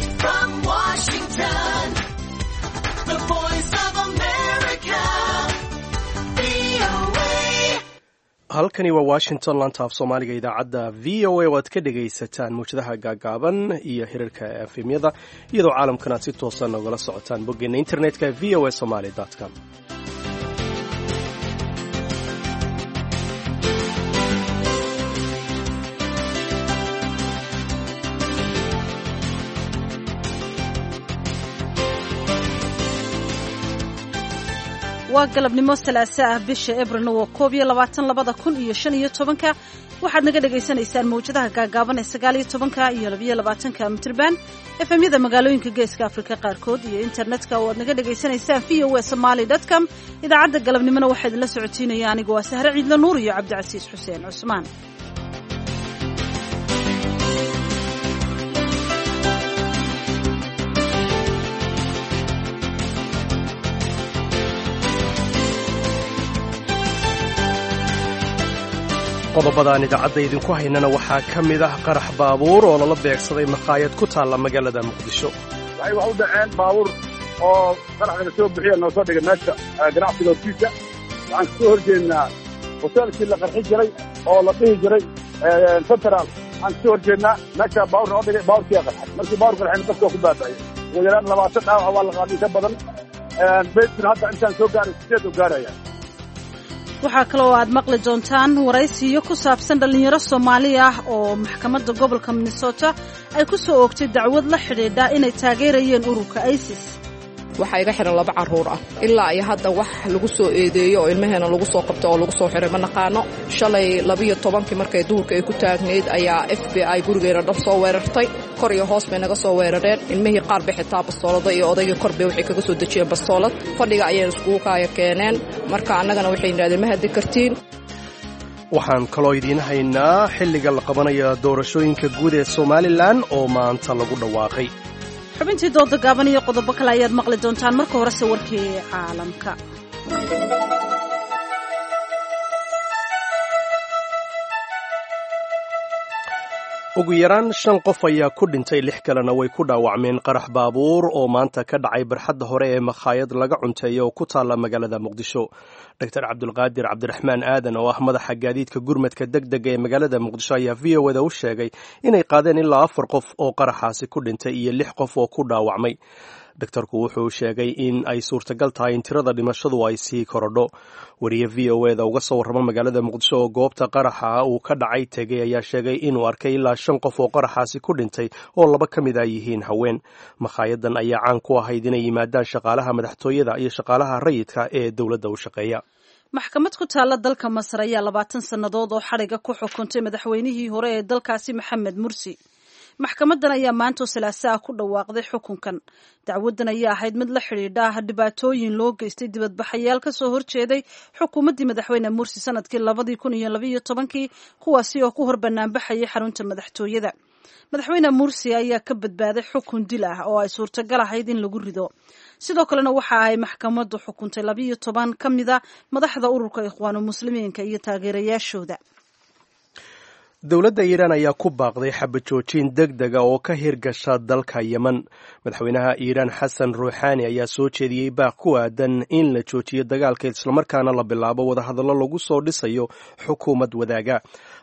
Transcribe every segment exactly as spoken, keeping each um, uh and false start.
Direct from Washington, the Voice of America, V O A. Halkani waa Washington, laanta af Soomaaliga idaacadda V O A oo aad ka dhegaysataan mawjadaha gaagaaban iyo hirarka efemyada, iyadoo caalamkan aad si toosan nogala socotaan boggeena internetka V O A Somaly com. Waa galabnimo Salaaso ah, bisha Ebrilna waa koob iyo labaatan, labada kun iyo shan iyo tobanka. Waxaad naga dhagaysanaysaan mawjadaha gaagaaban ee sagaal iyo tobanka iyo labiyo labaatanka mitirban, efemyada magaalooyinka Geeska Afrika qaarkood iyo internetka oo aad naga dhagaysanaysaan V O A Somaly com. Idaacadda galabnimona waxaa idinla socotiinaya anigu waa Sahre Ciidle Nuur iyo Cabdicasiis Xuseen Cusmaan. Qodobadaan idaacadda idinku haynana waxaa ka mid ah qarax baabuur oo lala beegsaday makhaayad ku taalla magaalada Muqdisho. Waxay wax u dhaceen baabuur oo qarax laga soo bixiya noo soo dhigay meesha ganacsiga hortiisa. Waxaan kasoo horjeednaa hoteelkii la qarxi jiray oo la dhihi jiray Central. Waxaan kasoo horjeednaa meesha baabuur noo dhigay. Baabuurkiyaa qarxay. Markii baabuur qarxayna, dadka waa ku baaba'ay. Ugu yaraan labaatan dhaawac waa la qaaday, ka badan. Beydkuna hadda intaan soo gaaray sideed oo gaaraya. Waxaa kaloo aad maqli doontaan waraysiyo ku saabsan dhallinyaro Soomaali ah oo maxkamadda gobolka Minnesota ay ku soo oogtay dacwad la xidhiidha inay taageerayeen ururka ISIS. Waxaa iga xihan laba carruur ah. Ilaa iyo hadda wax lagu soo eedeeyo oo ilmaheena lagu soo qabto oo lagu soo xiray ma naqaano. Shalay labiyo tobankii markay duhurka ay ku taagnayd ayaa F B I gurigeena dhan soo weerartay. Kor iyo hoos bay naga soo weerareen. Ilmihii qaar bay xitaa bastoolada iyo odaygii kor bay waxay kaga soo dejiyeen bastoolad. Fadhiga ayayna iskugu kaaya keeneen. Marka annagana waxay yidhahdeen, "Ma haddi kartiin." Waxaan kaloo idiin haynaa xilliga la qabanaya doorashooyinka guud ee Somalilan oo maanta lagu dhawaaqay. Xubintii dooda gaaban iyo qodobo kale ayaad maqli doontaan. Marka horese warkii caalamka. Ugu yaraan shan qof ayaa ku dhintay, lix kalena way ku dhaawacmeen qarax baabuur oo maanta ka dhacay barxadda hore ee makhaayad laga cunteeyo oo ku taalla magaalada Muqdisho. Doctor Cabdulqaadir Cabdiraxmaan Aadan oo ah madaxa gaadiidka gurmadka deg dega ee magaalada Muqdisho ayaa V O A da u sheegay inay qaadeen ilaa afar qof oo qaraxaasi ku dhintay iyo lix qof oo ku dhaawacmay. Daktarku wuxuu sheegay in ay suurtagal tahay in tirada dhimashadu ay sii korodho. Wariye V O A da uga soo warrama magaalada Muqdisho oo goobta qaraxa uu ka dhacay tegey ayaa sheegay inuu arkay ilaa shan qof oo qaraxaasi ku dhintay oo laba ka mid a yihiin haween. Makhaayaddan ayaa caan ku ahayd inay yimaadaan shaqaalaha madaxtooyada iyo shaqaalaha rayidka ee dowladda u shaqeeya. Maxkamad ku taalla dalka Masar ayaa labaatan sannadood oo xadhiga ku xukuntay madaxweynihii hore ee dalkaasi, Maxamed Mursi. Maxkamadan ayaa maantoo Salaaso ah ku dhawaaqday xukunkan. Dacwadan ayaa ahayd mid la xidhiidha dhibaatooyin loo geystay dibadbaxayaal ka soo horjeeday xukuumaddii madaxweyne Mursi sanadkii labadii kun iyo labaiyo tobankii, kuwaasi oo ku hor banaanbaxayay xarunta madaxtooyada. Madaxweyne Mursi ayaa ka badbaaday xukun dil ah oo ay suurtagal ahayd in lagu rido. Sidoo kalena waxa ay maxkamaddu xukuntay labiiyo toban ka mida madaxda ururka Ikhwaanu Muslimiinka iyo taageerayaashooda. Dowladda Iiraan ayaa ku baaqday xabajoojin deg dega oo ka hirgasha dalka Yemen. Madaxweynaha Iiraan Xasan Ruuxaani ayaa soo jeediyey baaq ku aadan in la joojiyo dagaalka, islamarkaana la bilaabo wadahadallo lagu soo dhisayo xukuumad wadaaga.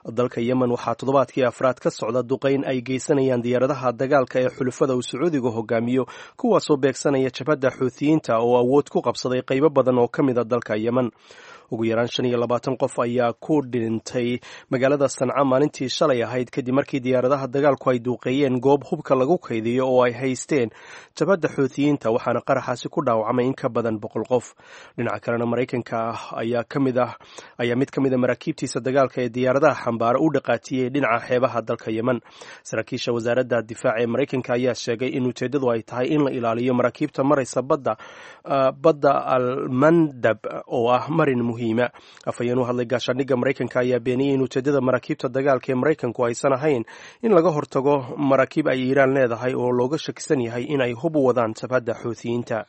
Dalka Yemen waxaa toddobaadkii afraad ka socda duqayn ay geysanayaan diyaaradaha dagaalka ee xulufada uu Sacuudiga hogaamiyo, kuwaasoo beegsanaya jabhadda Xuutiyiinta oo awood ku qabsaday qaybo badan oo ka mid a dalka Yemen. Ugu yaraan shan iyo labaatan qof ayaa ku dhintay magaalada Sanca maalintii shalay ahayd, kadib markii diyaaradaha dagaalku ay duuqeeyeen goob hubka lagu kaydiyo oo ay haysteen jabhadda Xuutiyiinta, waxaana qaraxaasi ku dhaawacmay in ka badan boqol qof. Dhinaca kalena, Maraykanka ayaa kamid ah ayaa mid ka mid a maraakiibtiisa dagaalka ee diyaaradaha xambaara u dhaqaatiyey dhinaca xeebaha dalka Yemen. Saraakiisha wasaaradda difaaca ee Maraykanka ayaa sheegay in ujeeddadu ay tahay in la ilaaliyo maraakiibta maraysa badda badda Almandab oo ah marin muhiima. Afhayeen u hadlay gaashaandhigga Maraykanka ayaa beeniyey in ujeeddada maraakiibta dagaalka ee Maraykanku aysan ahayn in laga hortago maraakiib ay Iiraan leedahay oo looga shakisan yahay in ay hub u wadaan jabhadda Xuutiyiinta.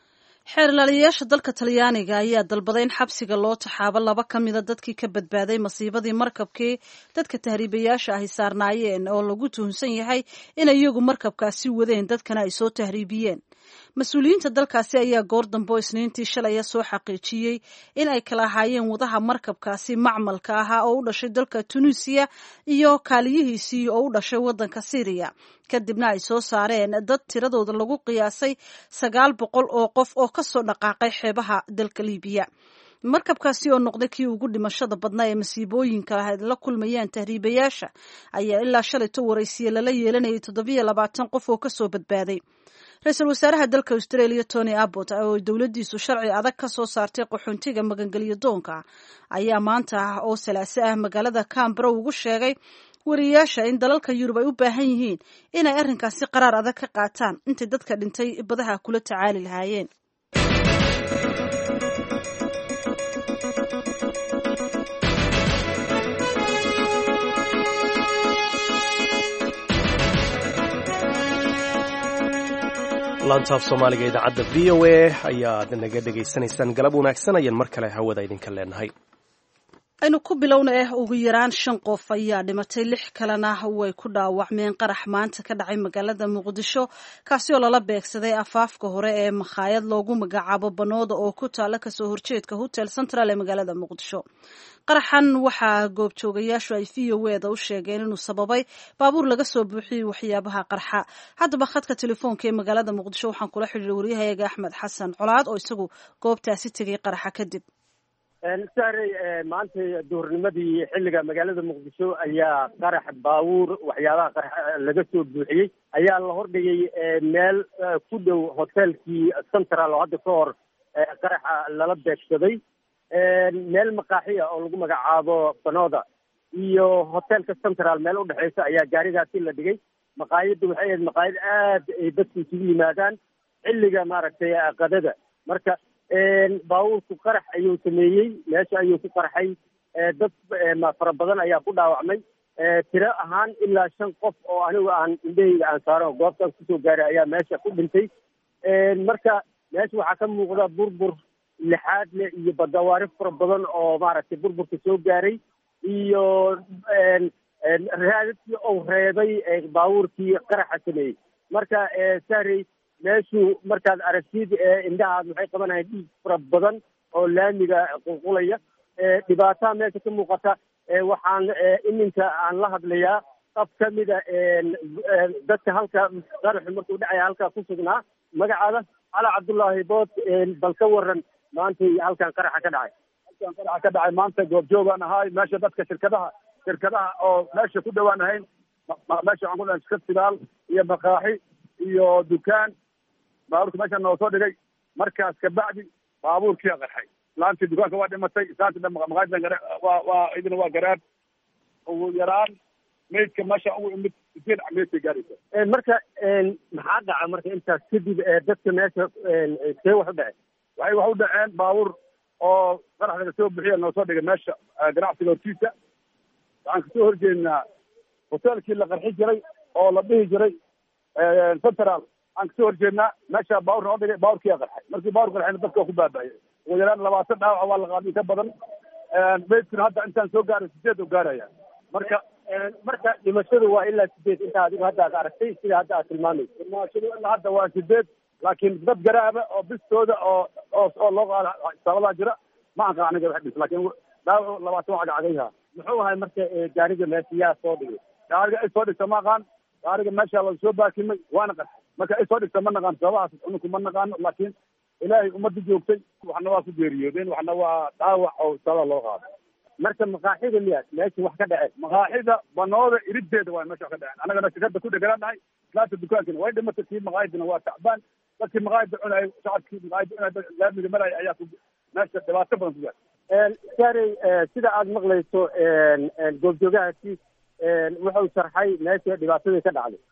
Xeerlaaliyayaasha dalka Talyaaniga ayaa dalbaday in xabsiga loo taxaabo laba ka mida dadkii ka badbaaday masiibadii markabkii dadka tahriibayaasha ahi saarnaayeen, oo lagu tuhunsan yahay in iyagu markabkaasi wadeen dadkana ay soo tahriibiyeen. Mas-uuliyiinta dalkaasi ayaa goor dambe oo Isniintii shalaya soo xaqiijiyey in ay kala ahaayeen wadaha markabkaasi macmalka ahaa oo u dhashay dalka Tunisiya iyo kaaliyihiisii oo u dhashay waddanka Syriya, kadibna ay soo saareen dad tiradooda lagu qiyaasay sagaal boqol oo qof oo kasoo dhaqaaqay xeebaha dalka Liibiya. Markabkaasi oo noqday kii ugu dhimashada badnaa ee masiibooyinka la kulmayaan tahriibayaasha ayaa ilaa shalayto waraysiye lala yeelanayay toddobiyo labaatan qof oo kasoo badbaaday. Ra-iisul wasaaraha dalka Australia Tony Abbott, oo dowladdiisu sharci adag ka soo saartay qaxoontiga magangelyo doonka, ayaa maanta ah oo Salaase ah magaalada Cambara ugu sheegay wariyaasha in dalalka Yurub ay u baahan yihiin inay arrinkaasi qaraar adag ka qaataan intay dadka dhintay badaha kula tacaali lahaayeen. Laantaaf Soomaaliga idaacadda V O A ayaad naga dhegaysanaysaan. Galab wanaagsan ayaan mar kale hawada idinka leenahay. Aynu ku bilowna eh, ugu yaraan shan qof ayaa dhimatay, lix kalena way ku dhaawacmeen qarax maanta ka dhacay magaalada Muqdisho, kaasi oo lala beegsaday afaafka hore ee makhaayad loogu magacaabo Banooda oo ku taala kasoo horjeedka Hotel Central ee magaalada Muqdisho. Qaraxan waxaa goobjoogayaashu ay V O E da u sheegeen inuu sababay baabuur laga soo buuxiyey waxyaabaha qarxa. Haddaba khadka telefoonka ee magaalada Muqdisho waxaan kula xidhiiray waryahayaga Axmed Xasan Colaad oo isagu goobtaasi tegay qaraxa kadib. Sahrey, maanta duhurnimadii xilliga magaalada Muqdisho ayaa qarax baabuur waxyaabaha qarax laga soo buuxiyey ayaa la hordhigay meel ku dhow hotelkii Central oo hadda ka hor qaraxa lala beegsaday, meel maqaaxi ah oo lagu magacaabo Banooda iyo hotelka Central meel udhexeysa ayaa gaarigaasi la dhigay. Maqaayadda waxay ahayd maqaayad aad ay dadku isugu yimaadaan xilliga maaragtay qadada. Marka baabuurku qarax ayuu sameeyey, meesha ayuu ku qarxay, dad fara badan ayaa ku dhaawacmay. Tiro ahaan ilaa shan qof oo anigu aan indhahayga aan saaro goobtaas kusoo gaaray ayaa meesha ku dhintay. Marka meesha waxaa ka muuqda burbur lixaad leh iyo badawaari fara badan oo maaragtay burburka soo gaaray iyo raadadkii uu reebay baabuurkii qaraxa sameeyey. Marka sahrey, meeshu markaad aragtid indhahaad waxay qabanayaan dhiig fara badan oo laamiga qulqulaya, dhibaataa meesha ka muuqata. Waxaan iminka aan la hadlayaa qof ka mida dadka halka qaraxu markuu dhacaya halkaa ku sugnaa, magacaada Cala Cabdullaahi Bood. Bal ka waran maantay halkan qaraxa ka dhacay? Halkan qaraxa ka dhacay maanta goobjoogaan ahay meesha, dadka shirkadaha shirkadaha oo meesha ku dhawaan ahayn. Meesha waxaan ku dhahay shirkad sidaal iyo maqaaxi iyo dukaan. Baabuurka meesha noo soo dhigay, markaas kabacdi baabuurkiia qarxay. Islaantii dukaanka waa dhimatay, islaantii maqaaxidan waa waa idina waa garaab. Ugu yaraan maydka meesha ugu imid sideed meydkay gaaraysa. Marka maxaa dhaca marka intaas kadib dadka meesha see wax u dhaceen? Waxay wax u dhaceen baabuur oo qarax laga soo buxiya noo soo dhigay meesha ganacsiga hortiisa. Waxaan kasoo horjeednaa hotelkii la qarxi jiray oo la dhihi jiray Central aan kasoo horjeednaa. Meesha baabuur noo dhigay, baabuurkiyaa qarxay. Markii baabuur qarxayna dadka waa ku baaba'yay. Ugu yaraan labaatan dhaawac waa la qaaday ka badan. Meydkuna hadda intaan soo gaaray sideed oo gaaraya. Marka marka dhimashadu waa ilaa sideed inta adigu hadda aad aragtay sida hadda aad tilmaamayso? Dhimashadu ilaa hadda waa sideed, laakiin dad garaaba oo bistooda oo oo oo loo qaada isbitaaladaa jira. Ma aqaan aniga wax dhis, laakiin dhaawacu labaatan waa cagacagayha. Muxuu ahay marka gaariga meesha yaa soo dhigay? Gaariga ay soo dhigta ma aqaan. Gaariga meesha la soo baakimay waana qarxay. Marka ay soo dhigta ma naqaan sababahaas, uninku ma naqaano, laakiin Ilaahay ummadda joogtay waxna waa ku geeriyoodeen, waxna waa dhaawac oo isbitaalada loo qaaday. Marka maqaaxida miya meesha wax ka dhaceen? Maqaaxida Banooda irideeda waa meesha wax ka dhaceen. Annagana shirkadda ku dheganaan nahay. Islaanta dukaankina way dhimatay, kii maqaayadina waa tacbaan. Dadkii maqaayadda cunayay, shacabkii maqaayadda cunayay, laamiga maraya ayaa ku meesha dhibaato badan ku gaartay. Saarey, sida aada maqlayso goobjoogahaasi wuxuu sharxay meesha dhibaatadii ka dhacday.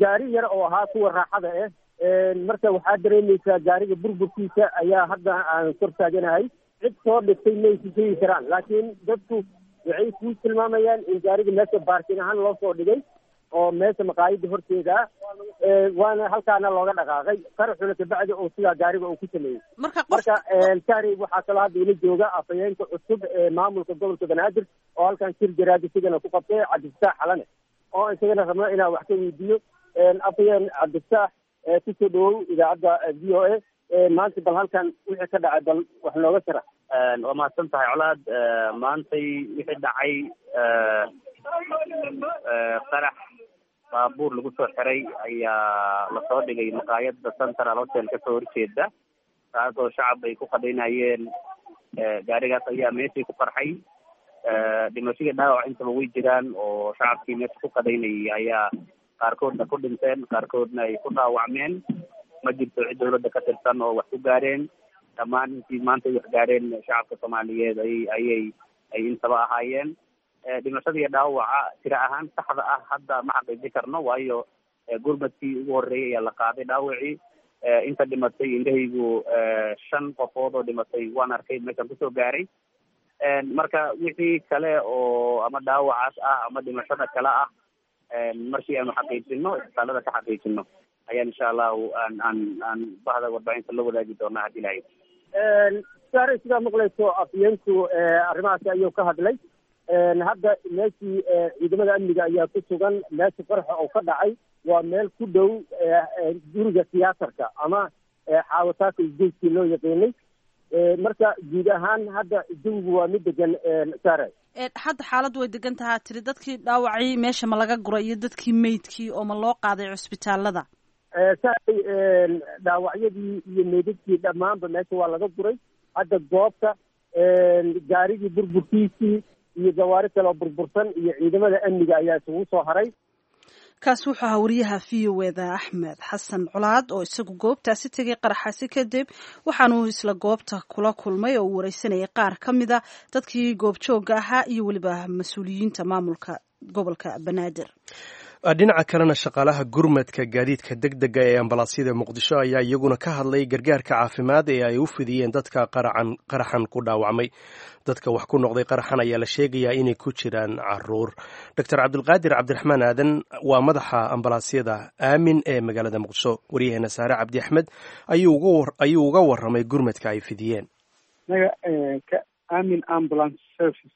Gaari yar oo ahaa kuwa raaxada ah, marka waxaa dareemaysaa gaariga burburkiisa ayaa hadda aan kor taaganahay. Cid soo dhigtay maysi sheegi karaan, laakiin dadku waxay kuu tilmaamayaan in gaariga meesha baarkin ahaan loo soo dhigay. oo meesha maqaayada horteeda ah, waana halkaana looga dhaqaaqay qaraxuna kabacdi oo sidaa gaariga uu ku sameeyey. Marka marka sari waxaa kaloo hadda ila jooga afhayeenka cusub ee maamulka gobolka Banaadir oo halkan shir jaraadi sigana ku qabtay, Cabdifataax Xalane, oo isagana rabno inaan wax ka weydiiyo. Afhayeen Cabdifataax, kusoo dhawow idaacadda V O A. Maanta bal halkan wixii ka dhacay bal wax nooga sharax. Waa mahadsan tahay Colaad. Maantay wixii dhacay qarax baabuur lagu soo xiray ayaa lasoo dhigay maqaayadda Central Hotel kasoo horjeeda, taasoo shacab ay ku qadaynayeen. Gaarigaas ayaa meeshii ku qarxay. Dhimashadii dhaawac intaba way jiraan, oo shacabkii meesha ku qadaynayay ayaa qaarkoodna ku dhinteen, qaarkoodna ay ku dhaawacmeen. Ma jirto cid dawladda ka tirsan oo wax ku gaareen. Dhammaan intii maanta ay wax gaareen shacabka Soomaaliyeed ay ayay ay intaba ahaayeen. Dhimashada iyo dhaawaca tira ahaan saxda ah hadda ma xaqiijin karno, waayo gurmadkii ugu horreeyay ayaa la qaaday dhaawacii. Inta dhimatay indhahaygu shan qofood oo dhimatay waan arkay meeshaan kusoo gaaray. Marka wixii kale oo ama dhaawacaas ah ama dhimashada kale ah, markii aanu xaqiijino, isbitaalada ka xaqiijino, ayaan insha allahu aan aan aan bahda warbaahinta la wadaagi doonaa haddii lahayd. Sare, sidaa maqlayso afyeenku arrimahaasi ayuu ka hadlay. Hadda meeshii ciidamada amniga ayaa ku sugan. Meesha qaraxa oo ka dhacay waa meel ku dhow guriga tiyaatarka ama xaawataaka isgoyskii loo yaqiinay. Marka guud ahaan hadda jawigu waa mid degan, sare. Hadda xaaladdu way degan tahaa tiri. Dadkii dhaawacii meesha ma laga guray iyo dadkii meydkii oo ma loo qaaday cusbitaalada? Saaray, dhaawacyadii iyo meydadkii dhammaanba meesha waa laga guray. Hadda goobta gaarigii burburkiisii iyo gawaari kale oo burbursan iyo ciidamada amniga ayaa isugu soo haray. Kaasi wuxuu ahaa wariyaha V O eda Axmed Xasan Colaad oo isagu goobtaasi tegay qaraxaasi kadib, waxaanuu isla goobta kula kulmay oo uu wareysanayay qaar ka mida dadkii goobjoogga ahaa iyo weliba mas-uuliyiinta maamulka gobolka Banaadir. Dhinaca kalena, shaqaalaha gurmadka gaadiidka deg dega ee ambalaasyada Muqdisho ayaa iyaguna ka hadlay gargaarka caafimaad ee ay u fidiyeen dadka qaracan qaraxan ku dhaawacmay. Dadka wax ku noqday qaraxan ayaa la sheegayaa inay ku jiraan caruur. Doctor Cabdulqaadir Cabdiraxmaan Aadan waa madaxa ambalaasyada Aamin ee magaalada Muqdisho. Waryaheena Saare Cabdi Axmed ayuu uga waramay gurmadka ay fidiyeen. Aamin Ambulance Service,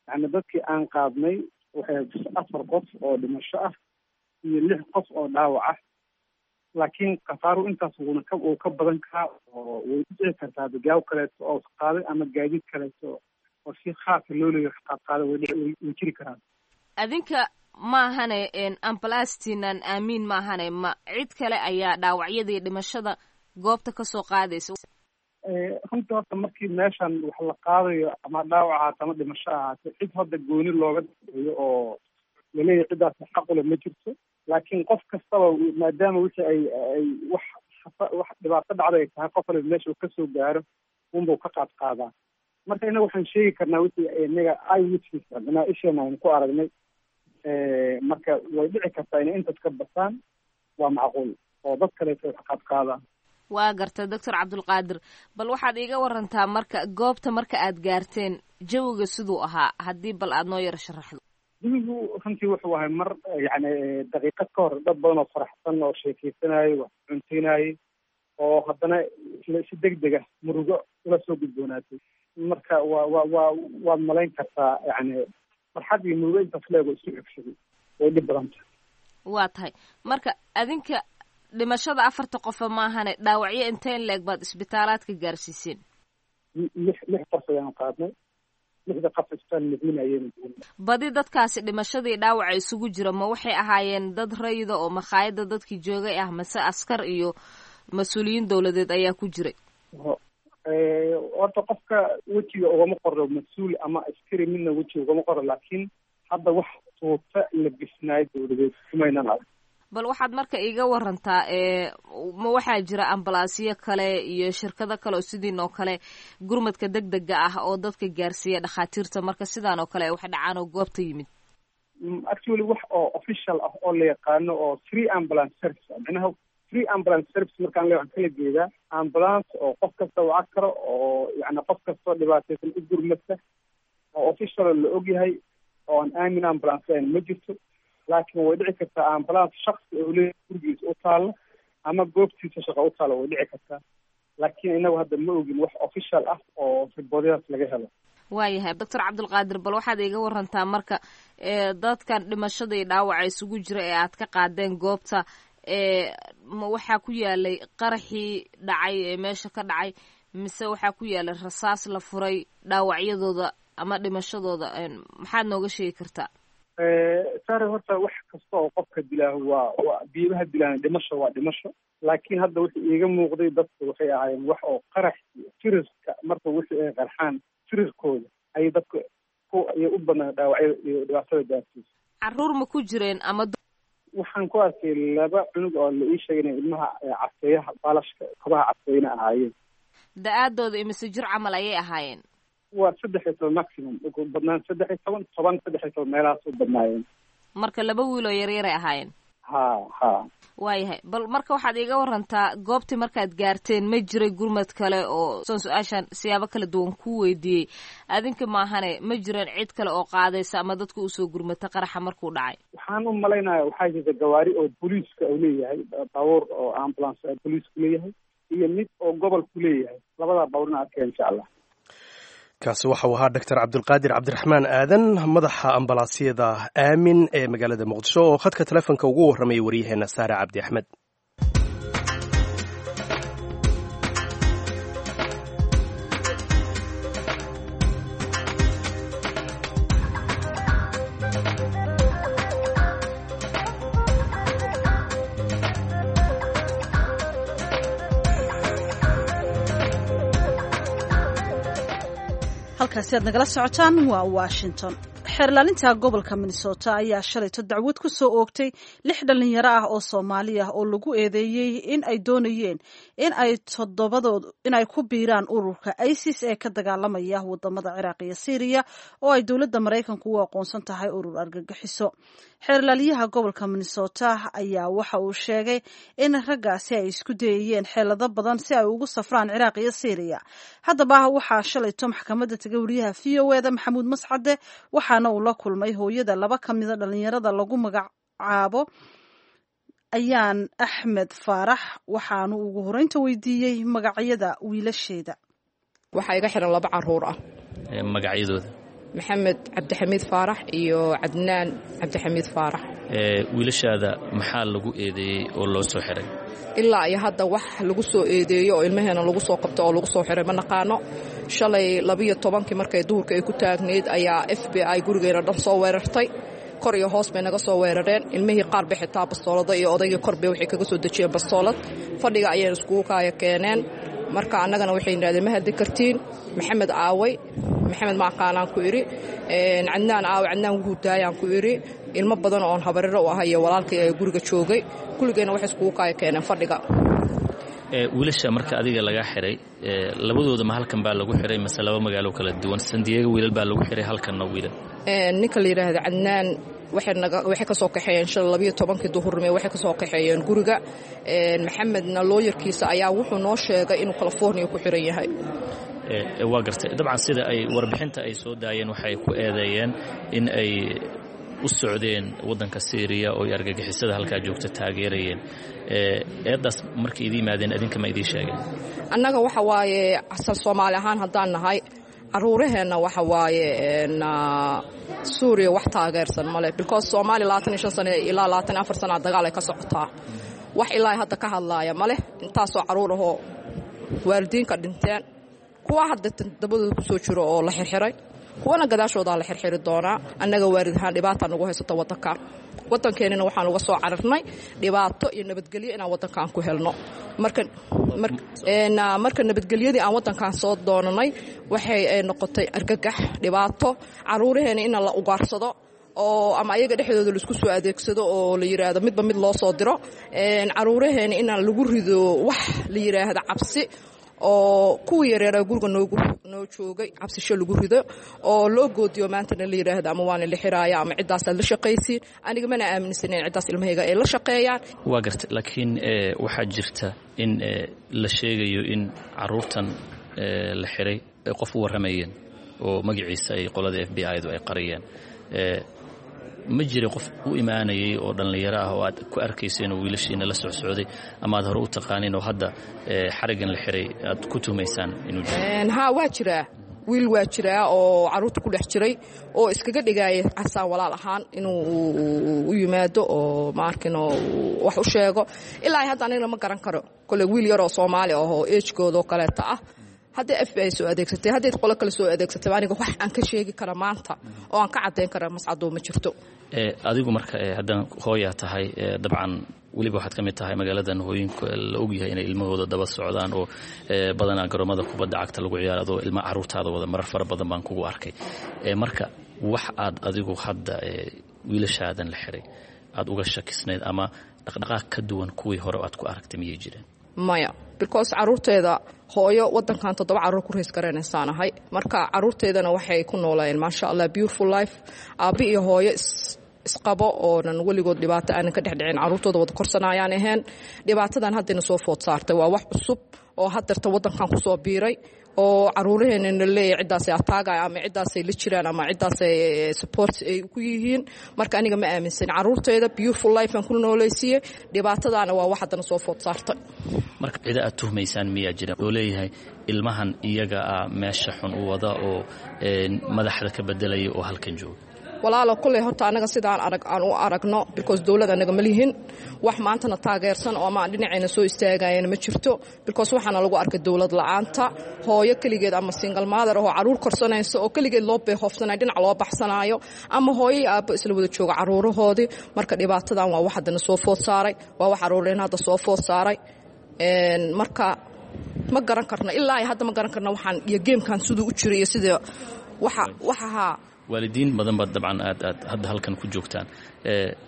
yani dadkii aan qaadnay waxay afar qof oo dhimasho ah iyo lix qof oo dhaawac ah, laakiin khasaaru intaas wuuna ka uu ka badan karaa oo way dhici kartaa gaaw kaleeto oo qaaday ama gaadiid kaleeto oo si khaasa loo leeyahay wax qaad qaaday way dhici way jiri karaan. Adinka maahane ambalastiinan Aamiin maahane, ma cid kale ayaa dhaawacyadii dhimashada goobta kasoo qaadaysa? Runtii horta markii meeshan wax la qaadayo, ama dhaawac ahaato ama dhimasho ahaate, cid hadda gooni looga daeeyo oo laleeyahay ciddaas xaqule ma jirto. Laakiin qof kastaba maadaama wixii ay ay wax wax dhibaato dhacday ay tahay, qof waliba meesha uu kasoo gaaro unbuu ka qaad qaadaa. Marka innaga waxaan sheegi karnaa wixii inaga eye witness, macnaha isheena aynu ku aragnay. Marka way dhici kartaa inay intaas ka basaan, waa macquul oo dad kaleeto wax qaad qaadaan. Waa garta, Doctor Cabdulqaadir. Bal waxaad iiga warantaa marka goobta marka aad gaarteen jawiga siduu ahaa, haddii bal aad noo yaro sharaxdo. Jawigu runtii wuxuu ahay mar yacni daqiiqad ka hor dad badan oo faraxsan oo sheekeysanayay, wax cunteynayay, oo haddana si deg deg ah murugo ula soo gudboonaatay. Marka waa waa waa waad malayn kartaa, yacni farxad iyo murugo intaas leego isu xigsaday way dhib badan tahay. Waa tahay. Marka adinka dhimashada afarta qofa maahane, dhaawacyo inteen leeg baad isbitaalaadka gaarsiiseen? Lix lix qof ayaanu qaadnay. Lixda qof isbitaal Madiina ayaynu geynay. Badi dadkaasi dhimashadii dhaawaca isugu jira ma waxay ahaayeen dad rayida oo makhaayadda dadkii joogay ah, mase askar iyo mas-uuliyiin dowladeed ayaa ku jiray? Horta qofka wejiga ugama qoro mas-uul ama askari, midna wejiga ugama qoro, laakiin hadda wax tuuta la bisnaayo dowladeed kumaynan arag. Bal waxaad marka iiga warantaa, ma waxaa jira ambalaasyo kale iyo shirkado kale oo sidiin oo kale gurmadka deg dega ah oo dadka gaarsiiya dhakhaatiirta marka sidaan oo kale ay wax dhacaan oo goobta yimid? Actually wax oo official ah oo la yaqaano oo free ambulance service, macnaha free ambulance service markaan le waxaan kala jeedaa ambulance oo qof kasta waca karo oo yacni qof kastoo dhibaataysan u gurmadka oo official la ogyahay oo aan Aamin Ambulance lahayn ma jirto. Laakiin way dhici kartaa ambulance shaksi oo leeyahay gurigiisa u taalla ama goobtiisa shaqa u taalla, way dhici kartaa, laakiin inagu hadda ma ogin wax official ah oo riboodyadaas laga helo. Waayahay, Doctor Cabdulqaadir, bal waxaad iiga warantaa marka dadkan dhimashada iyo dhaawaca isugu jira ee aad ka qaadeen goobta, ma waxaa ku yaalay qaraxii dhacay ee meesha ka dhacay, mise waxaa ku yaalay rasaas la furay dhaawacyadooda ama dhimashadooda? Maxaad nooga sheegi kartaa? Sare, horta wax kasta oo qofka dilaa waa waa biibaha dilaan, dhimasho waa dhimasho. Laakiin hadda wuxuu iiga muuqday dadku waxay ahaayeen wax oo qarax firirka, marka wixii ay qarxaan firirkooda ayay dadka ku ayay u badnaa dhaawacyada iyo dhibaatada gaarsiisa. Caruur ma ku jireen ama? Waxaan ku arkay laba cunug oo la ii sheegay inay ilmaha caseeyaha baalashka kobaha caseeyna ahaayeen. Da-aadooda imise jir camal ayay ahaayeen? Waa saddex iyo toban maximum, ugu badnaan saddex iyo toban, toban, saddex iyo toban meelahaas u badnaayeen. Marka laba wiil oo yaryaray ahaayeen? Ha ha. Waayahay, bal marka waxaad iiga warantaa goobtii markaad gaarteen ma jiray gurmad kale oo soon su-aashan siyaabo kala duwan ku weydiiyey, adinka maahane ma jireen cid kale oo qaadaysa ama dadka usoo gurmata qaraxa markuu dhacay? Waxaan u malaynaya waxaa jirta gawaari oo booliiska uu leeyahay, baabuur oo ambulance booliisku leeyahay iyo mid oo gobolku leeyahay, labadaa baabuurna arkeen insha Allah. Kaasi waxa uu ahaa Doctor Cabdulqaadir Cabdiraxmaan Aadan, madaxa ambalaasyada Aamin ee magaalada Muqdisho, oo khadka telefoonka ugu warramayay waryaheena Saare Cabdi Axmed. Halkaasi aad nagala socotaan waa Washington. Xeerlaalinta gobolka Minnesota ayaa shalayto dacwad ku soo oogtay lix dhalinyaro ah oo Soomaali ah oo lagu eedeeyey in ay doonayeen in ay toddobadood in ay ku biiraan ururka ISIS ee ka dagaalamaya wadamada Ciraaq iyo Syria, oo ay dowladda Maraykanku u aqoonsan tahay urur argagixiso. Xeerlaaliyaha gobolka Minnesota ayaa waxa uu sheegay in raggaasi ay isku dayayeen xeelado badan si ay ugu safraan Ciraaq iyo Syria. Haddaba waxaa shalayto maxkamadda tagay wariyaha V O E da Maxamuud Mascade, waxaana uu la kulmay hooyada laba ka mida dhalinyarada lagu magacaabo Ayaan Axmed Faarax, waxaanu ugu horeynta weydiiyey magacyada wiilasheeda. Waxaa iga xiran laba caruur ah. Magacyadooda? Maxamed Cabdixamiid Faarax iyo Cadnaan Cabdixamiid Faarax. Wiilashaada maxaa lagu eedeeyey oo loo soo xiray? Ilaa iyo hadda wax lagu soo eedeeyo oo ilmaheena lagu soo qabto oo lagu soo xiray ma naqaano. Shalay labiyo tobankii markay duhurka ay ku taagnayd ayaa F B I gurigeena dhan soo weerartay. Kor iyo hoos bay naga soo weerareen. Ilmihii qaar bay xitaa bastoolada iyo odaygii kor bay waxay kaga soo dejiyeen bastoolad. Fadhiga ayayna iskugu kaaya keeneen. Marka annagana waxay yidhahdeen ma hadli kartiin. Maxamed aaway, Maxamed maaqaanaan ku idhi. Cadnaan aaway, Cadnaan wuxuu daayaan ku idhi. Ilmo badan oon habariro u ahay iyo walaalkay ee guriga joogay, kulligeenna waxay iskugu kaaya keeneen fadhiga. Wiilasha marka adiga laga xiray, labadooda ma halkan baa lagu xiray mase laba magaalo kala duwan? San Diego wiilal baa lagu xiray, halkanna wiilal. Ninka la yidhaahda Cadnaan waxay ka soo kaxeeyeen shalay labiyo tobankii duhurnimo, waxay ka soo kaxeeyeen guriga. Maxamedna looyarkiisa ayaa wuxuu noo sheegay inuu California ku xiran yahay. Waa gartay. Dabcan sida ay warbixinta ay soo daayeen waxay ku eedeeyeen in ay u socdeen waddanka Syria oo ay argagixisada halkaa joogta taageerayeen. Eedaas markay idin yimaadeen adinka ma idiin sheegeen? Annaga waxa waaye asal Soomaali ahaan haddaan nahay, caruuraheenna waxa waaye Suuriya wax taageersan male, because Soomaaliya labaatan iyo shan sano ilaa labaatan iyo afar sana dagaal ay ka socotaa, wax ilaa hadda ka hadlaaya male. Intaasoo caruur ahoo waalidiinka dhinteen, kuwa hadda dabadooda kusoo jiro oo la xirxiray, kuwana gadaashoodaa la xirxiri doonaa. Annaga waalid ahaan dhibaata nagu haysata waddanka, waddankeenina waxaan uga soo cararnay dhibaato iyo nabadgelyo inaan waddankaan ku helno. Marka marka nabadgelyadii aan waddankaan soo doonanay waxay noqotay argagax, dhibaato, caruuraheena in la ugaarsado oo ama ayaga dhexdooda laisku soo adeegsado oo la yidhaahdo midba mid loo soo diro, caruuraheena inaan lagu rido wax la yidhaahdo cabsi, oo kuwii yareeraa guriga noogu noo joogay cabsisho lagu rido oo loo goodiyo maantana la yidhaahdo ama waana la xiraaya ama ciddaasaad la shaqaysiin. Aniga mana aaminsaneyn ciddaas ilmahayga ay la shaqeeyaan. Waa gartay, laakiin waxaa jirta in la sheegayo in caruurtan la xiray ay qof u warramayeen oo magaciisa ay qolada F B I du ay qariyeen. Ma jiray qof u imaanayay oo dhallinyaro ah oo aad ku arkayseen oo wiilashiina la socsocday ama aad hore u taqaaniin oo hadda xarigan la xiray aad ku tuhmaysaan inuu jiro? Haa, waa jiraa, wiil waa jiraa oo caruurta ku dhex jiray oo iskaga dhigaaya casaan walaal ahaan inuu u yimaado oo maarkino wax u sheego. Ilaa hadda anigana ma garan karo, kole wiil yaroo Soomaali ah oo age-koodoo kaleeta ah. Haddii F B I soo adeegsatay, haddii qolo kale soo adeegsatay, aniga wax aan ka sheegi kara maanta oo aan ka caddayn kara, Mascadow, ma jirto. Adigu marka haddana hooyaa tahay, dabcan weliba waxaad ka mid tahay magaaladan hooyinka la ogyahay inay ilmahooda daba socdaan oo badanaa garoomada kubadda cagta lagu ciyaaro adoo ilma caruurtaada wada marar fara badan baan kugu arkay. Marka wax aad adigu hadda wiilashaadan la xiray aad uga shakisnayd ama dhaqdhaqaaq ka duwan kuwii hore aad ku aragtay miyay jireen? Maya, because caruurteeda hooyo wadankan toddoba caruur ku raise garanaysaan ahay. Marka caruurteedana waxay ku noolayeen, maasha Allah, beautiful life, aabbi iyo hooyo isqabo oonan weligood dhibaato aanan ka dhexdhicin, caruurtooda wada korsanayaan ahayn. Dhibaatadan haddayna soo food saartay waa wax cusub oo hadeerta wadankan kusoo biiray oo caruuraheenana leeyahy ciddaasay ataagaya ama ciddaasay la jiraan ama ciddaasay support ay ku yihiin. Marka aniga ma aaminsan, caruurteeda beautiful life aan ku noolaysiiyey. Dhibaatadaana waa wax haddana soo food saartay. Marka cida aad tuhmaysaan miyaa jira oo leeyahay ilmahan iyaga ah meesha xun u wada oo madaxda ka bedelaya oo halkan jooga? Walaalo, kulley horta anaga sidaan arag aan u aragno, because dowlad anaga ma lihin, wax maantana taageersan oo ama aan dhinacayna soo istaagayana ma jirto, because waxaana lagu arkay dowlad la'aanta hooyo keligeed ama single mother oo caruur korsanayso oo keligeed loo beehoofsanayo, dhinac loo baxsanayo, ama hooyo iyo aabbo isla wada jooga caruurahoodii. Marka dhibaatadan waa wax haddana soo food saaray, waa wax caruureen hadda soo food saaray. Marka ma garan karno, ilaa hadda ma garan karno waxaan iyo game-kan siduu u jiray iyo sida waxa waxahaa. Waalidiin badan baad dabcan aad aad hadda halkan ku joogtaan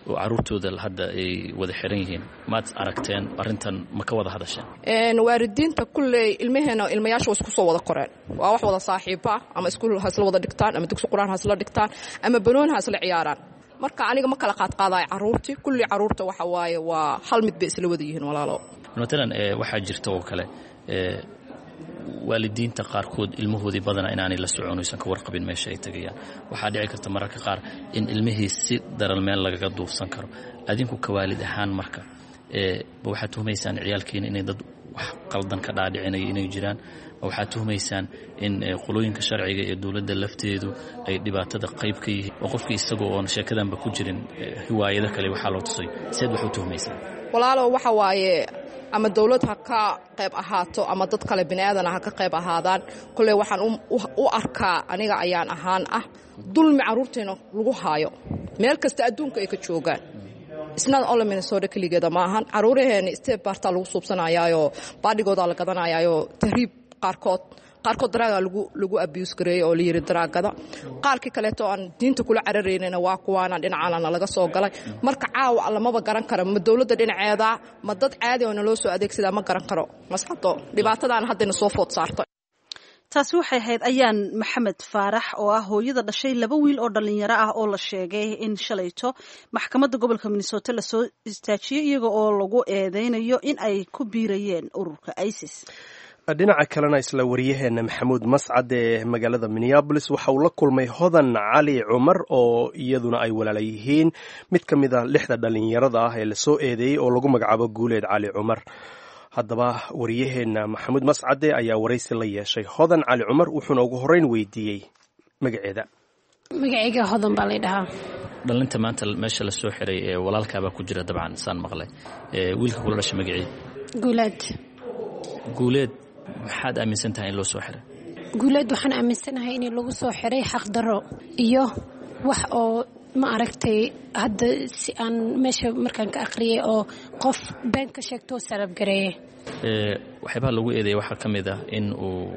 oo caruurtooda hadda ay wada xiran yihiin. Maad aragteen arrintan? Ma ka wada hadasheen? Waalidiinta kulley ilmaheena ilmayaasha waa isku soo wada koreen, waa wax wada saaxiiba, ama iskuul ha isla wada dhigtaan ama dugsi qur-aan ha isla dhigtaan ama banooni ha isla ciyaaraan. Marka aniga ma kala qaadqaadayo caruurtii, kulli caruurta waxa waaye waa hal mid bay isla wada yihiin, walaalo. Matalan waxaa jirta oo kale waalidiinta qaarkood ilmahoodii badanaa inaanay la socon, oysan ka warqabin meesha ay tagayaan. Waxaa dhici karta mararka qaar in ilmihii si daran meel lagaga duufsan karo. Adinku ka waalid ahaan marka ma waxaad tuhmaysaan ciyaalkiina inay dad wax qaldan ka dhaadhicinaya inay jiraan? Ma waxaad tuhmaysaan in qolooyinka sharciga ee dowladda lafteedu ay dhibaatada qayb ka yihiin oo qofkii isagoo oon sheekadanba ku jirin hiwaayado kale waxaa loo tusay? Seed wax u tuhmaysaan? Walaalo, waxa waaye ama dowlad ha ka qayb ahaato ama dad kale bini aadana ha ka qayb ahaadaan, kolley waxaan u arkaa aniga ayaan ahaan ah dulmi carruurteena lagu haayo meel kasta adduunka ay ka joogaan. Isnada ole Minnesota keligeeda maahan. Caruuraheena step baartaa lagu suubsanayaayoo baadhigoodaa la gadanayaayo tahriib, qaarkood qaarkood drug-gaa lagu lagu abuse gareeyey oo la yidhi drug-gada. Qaarkii kaleeto aan diinta kula cararaynayna waa kuwaana dhinacaanana laga soo galay. Marka caawa lamaba garan karo, ma dowladda dhinaceeda ma dad caadi oo naloo soo adeegsadaa, ma garan karo, Mascado. Dhibaatadaana haddayna soo food saartay. Taasi waxay ahayd Ayaan Maxamed Faarax oo ah hooyada dhashay laba wiil oo dhalinyaro ah oo la sheegay in shalayto maxkamadda gobolka Minnesota lasoo istaajiyey iyaga oo lagu eedeynayo in ay ku biirayeen ururka ISIS. Dhinaca kalena, isla wariyaheena Maxamuud Mascad ee magaalada Minneapolis waxa uu la kulmay Hodan Cali Cumar oo iyaduna ay walaala yihiin mid ka mid a lixda dhalinyarada ah ee lasoo eedeeyey oo lagu magacaabo Guuleed Cali Cumar. Haddaba wariyaheenna Maxamuud Mascade ayaa waraysi la yeeshay Hodan Cali Cumar, wuxuuna ugu horreyn weydiiyey magaceeda. Magacayga Hodan baa lay dhahaa. Dhalinta maanta meesha lasoo xiray ee walaalkaabaa ku jira dabcan saan maqlay. Wiilka kula dhashay magacii? Guuleed. Guuleed, maxaad aaminsan tahay in loo soo xiray? Guuleed waxaan aaminsanahay in lagu soo xiray xaqdarro iyo wax oo ma aragtay hadda si aan meesha markaan ka akhriyay oo qof been ka sheegtoo sarabgareeye. Waxyaabaha lagu eedeeyay waxaa ka mid ah in uu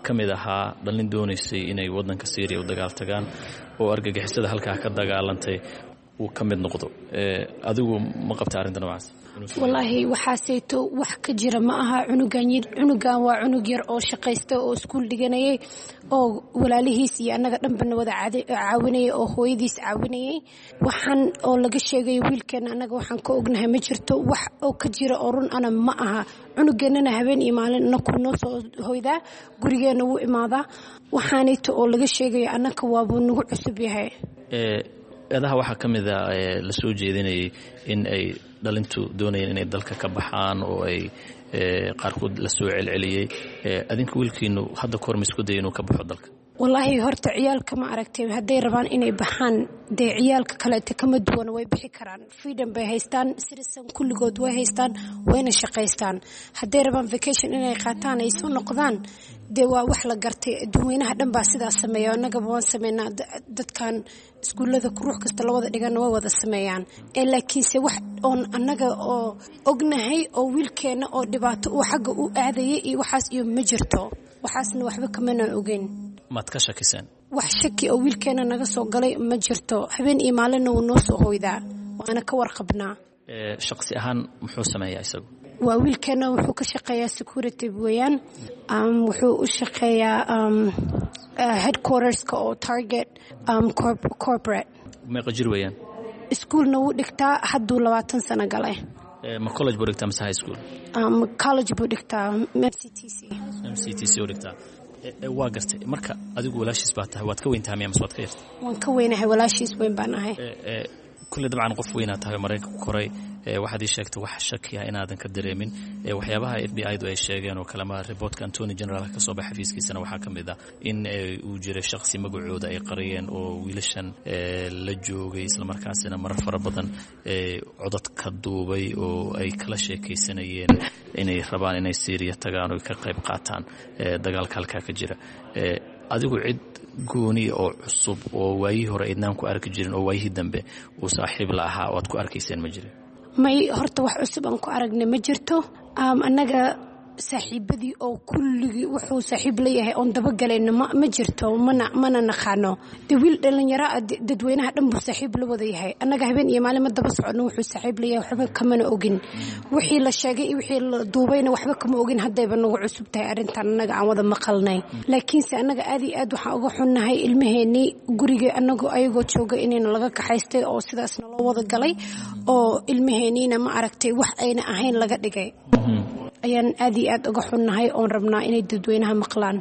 ka mid ahaa dhalin doonaysay inay waddanka Syriya u dagaal tagaan oo argagixisada halkaa ka dagaalantay uu ka mid noqdo. Adigu ma qabta arrinta noocaas? Wallaahi waxaaseyto wax ka jira ma aha. Cunugan cunugan waa cunug yar oo shaqaysta oo iskuul dhiganayay oo walaalihiis iyo annaga dhanbana wada caawinayay oo hooyadiis caawinayay. Waxaan oo laga sheegay wiilkeena annaga waxaan ka ognahay ma jirto, wax oo ka jira oo run ana ma aha. Cunugeennana habeen iyo maalin anaku noo soo hoydaa, gurigeenna wuu imaadaa. Waxaanayto oo laga sheegaya annaka waabuu nagu cusub yahay. Eedaha waxaa ka mid a la soo jeedinayay in ay dhalintu doonayeen inay dalka ka baxaan oo ay qaarkood la soo celceliyey. Adinka wiilkiinu hadda kahor ma isku dayay inuu ka baxo dalka? Wallaahi horta ciyaalka ma aragtay, hadday rabaan inay baxaan, dee ciyaalka kaleete kama duwana, way bixi karaan. Freedom bay haystaan, citizen kulligood way haystaan, wayna shaqaystaan. Hadday rabaan vacation inay qaataan ay soo noqdaan, dee waa wax la gartay. Dadweynaha dhan baa sidaas sameeya, annagaba waan sameynaa. Dadkan iskuullada ruux kasta la wada dhigana way wada sameeyaan. Laakiinse wax oon annaga oo ognahay oo wiilkeenna oo dhibaato uu xagga u aadayay iyo waxaas iyo ma jirto, waxaasna waxba kamana ogeyn. Maad ka shakiseen? Wax shaki oo wiilkeena naga soo galay ma jirto. Habeen iyo maalinna wuu noo soo hoydaa, waana ka warqabnaa. Shaqsi ahaan muxuu sameeyaa isagu? Waa wiilkeena, wuxuu ka shaqeeyaa security weeyaan. Wuxuu u shaqeeyaa headquarterska oo Target corporate. Meeqa jir weeyaan? Iskuulna wuu dhigtaa, hadduu labaatan sano galay. Ma college buu dhigtaa mise high school? College buu dhigtaa, M C T C. M C T C u dhigtaa, waa gartay. Marka adigu walaashiis baa tahay, waad ka weyn tahay miya mise waad ka yartay? Waan ka weynahay, walaashiis weyn baan ahay. Kulle dabcan qof weynaa tahay oo Maraykanka ku koray. Waxaad ii sheegtay wax shakiya inaadan ka dareemin waxyaabaha F B I du ay sheegeen oo kalema. Reportka Attorney Generalka ka soo baxay xafiiskiisana waxaa ka mid ah in uu jiray shakhsi magacooda ay qariyeen oo wiilashan la joogay, islamarkaasina marar fara badan codad ka duubay oo ay kala sheekaysanayeen inay rabaan inay Syriya tagaan oo ka qayb qaataan dagaalka halkaa ka jira. Adigu cid gooni oo cusub oo waayihii hore aydnaan ku arki jirin oo waayihii dambe uu saaxiib la ahaa oo aad ku arkayseen ma jirin? May, horta wax cusub aan ku aragnay ma jirto. Annaga saaxiibadii oo kulligii wuxuu saaxiib leeyahay oon dabagalayno ma jirto, mana mana naqaano. Dee wiil dhalinyaro ah, dadweynaha dhan buu saaxiib la wada yahay. Annaga habeen iyo maalin ma daba soconno wuxuu saaxiib leeyahay, waxba kamana ogin. Wixii la sheegay iyo wixii la duubayna waxba kama ogin. Haddayba nagu cusub tahay arrintan annaga aan wada maqalnay. Laakiinse annaga aad iyo aad waxaan uga xunnahay ilmaheenii guriga anagoo ayagoo jooga inayna laga kaxaystay oo sidaasna loo wada galay oo ilmaheeniina ma aragtay wax ayna ahayn laga dhigay ayaan aad iyo aad uga xunnahay oon rabnaa inay dadweynaha maqlaan.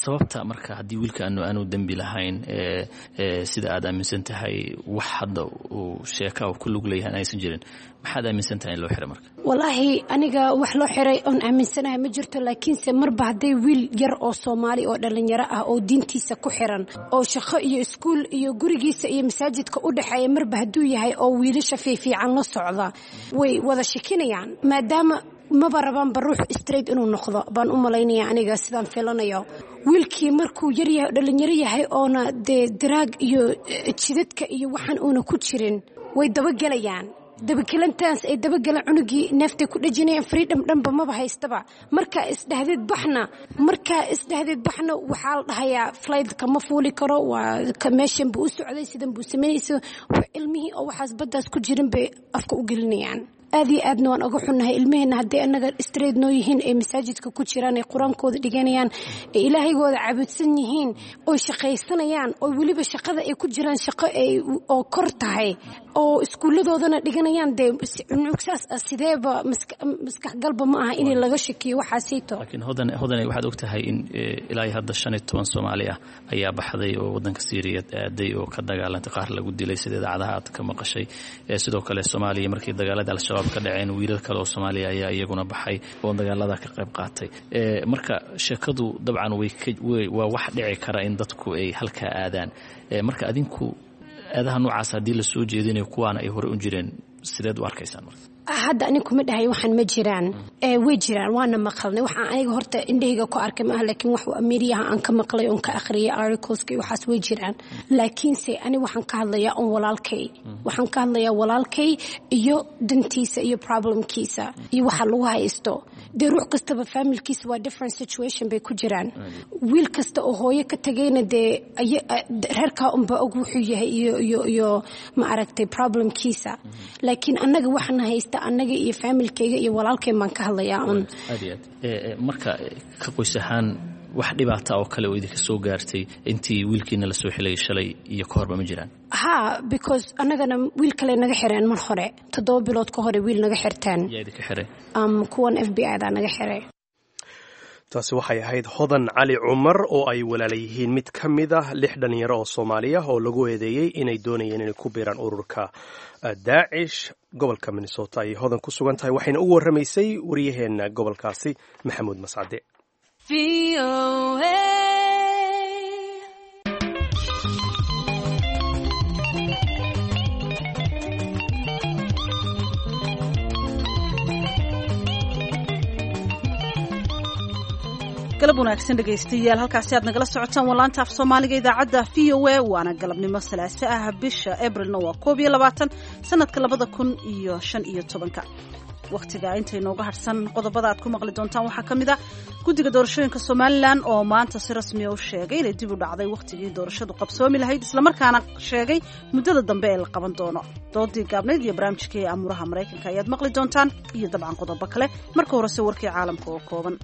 Sababta marka haddii wiilka aanu aanu dembi lahayn, sida aad aaminsan tahay, wax hadda uu sheeka ku lug leeyahay aysan jirin, maxaad aaminsan tahay in loo xiray marka? Wallaahi aniga wax loo xiray oon aaminsanahay ma jirto. Laakiinse marba hadday wiil yar oo Soomaali oo dhalinyaro ah oo diintiisa ku xiran oo shaqo iyo iskuul iyo gurigiisa iyo masaajidka u dhexeeya marba hadduu yahay oo wiilasha fiifiican la socda, way wada shakinayaan, maadaama maba rabaanba ruux straight inuu noqdo baan u malaynaya aniga sidaan filanayo. Wiilkii markuu yaryahay, dhalinyaro yahay, oona dee daraag iyo jidadka iyo waxaan uuna ku jirin, way dabagelayaan. Dabagelantaas ay dabagalaan cunugii neeftay ku dhajinayaan, freedom dhanba maba haystaba. Markaa isdhahdeed baxna markaa isdhahdeed baxna waxaa la dhahayaa flightka ma fuuli karo, waa meeshan buu u socday, sidan buu samaynaysa. Ilmihii oo waxaas baddaas ku jirin bay afka u gelinayaan. Aad iyo aadna waan uga xunnahay. Ilmaheena hadday annaga straight noo yihiin, ay masaajidka ku jiraan, ay qur-aankooda dhiganayaan, ay ilaahaygoda caabudsan yihiin, oy shaqaysanayaan, oo weliba shaqada ay ku jiraan shaqo ay oo kor tahay, oo iskuulladoodana dhiganayaan, dee cunugsaas ah sideeba maskaxgalba ma aha in laga shakiyo waxaasayto. Laakiin Hodan, Hodane, waxaad og tahay in ilaa iyo hadda shan iyo toban Soomaali ah ayaa baxday oo waddanka Siiriya aaday oo ka dagaalantay, qaar lagu dilay sida idaacadaha aad ka maqashay. Sidoo kale Soomaaliya markii dagaalada Al-Shabaab ka dhaceen, wiilal kale oo Soomaaliya ayaa iyaguna baxay oo dagaalada ka qayb qaatay. Marka sheekadu dabcan way waa wax dhici kara in dadku ay halkaa aadaan. Marka adinku eedaha noocaas haddii la soo jeedinayo, kuwaana ay hore u jireen, sideed u arkaysaan marka? Hadda anig kuma dhahay waxaan ma jiraan. Way jiraan, waana maqalnay. Waxaan aniga horta indhahayga ku arkay maaha, laakiin wax meediyaha aan ka maqlay oon ka akhriyay articleska iyo waxaas way jiraan. Laakiinse ani waxaan ka hadlayaa on walaalkay, waxaan ka hadlayaa walaalkay iyo dantiisa iyo problemkiisa iyo waxa lagu haysto. Dee ruux kastaba familkiisa waa different situation bay ku jiraan. Wiil kasta oo hooyo ka tagayna dee reerkaa unba og wuxuu yahay iyo iyo iyo ma aragtay problemkiisa. Laakiin annaga waxaan haysta annaga iyo familkayga iyo walaalkay baan ka hadlayaa un. Aad iyo aad. Marka ka qoys ahaan wax dhibaata oo kale oo idinka soo gaartay intii wiilkiina la soo xilayay shalay iyo ka horba ma jiraan? Ha, because annagana wiil kale naga xireen mar hore, toddoba bilood ka hore wiil naga xirteen. Yaa idinka xiray? um, kuwan F B I da naga xiray. Taasi waxay ahayd Hodan Cali Cumar oo ay walaala yihiin mid ka mid ah lix dhalinyaro oo Soomaaliya oo lagu eedeeyey inay doonayeen inay ku biiraan ururka Daacish. Gobolka Minnesota ayay Hodan ku sugan tahay, waxayna ugu warramaysay waryaheena gobolkaasi, Maxamuud Mascade. Galab wanaagsan, dhegaystayaal. Halkaasi aad nagala socotaan waa laanta af Soomaaliga idaacadda V O A, waana galabnimo Salaaso ah, bisha Abrilna waa koob iyo labaatan, sanadka labada kun iyo shan iyo tobanka. Wakhtiga inta inooga harsan, qodobada aad ku maqli doontaan waxaa ka mid a guddiga doorashooyinka Somalilan oo maanta si rasmiya u sheegay inay dib u dhacday wakhtigii doorashadu qabsoomi lahayd, islamarkaana sheegay muddada dambe ee la qaban doono. Doodii gaabnayd iyo barnaamijkii amuuraha Maraykanka ayaad maqli doontaan iyo dabcan qodobo kale. Marka horese, warkii caalamka oo kooban.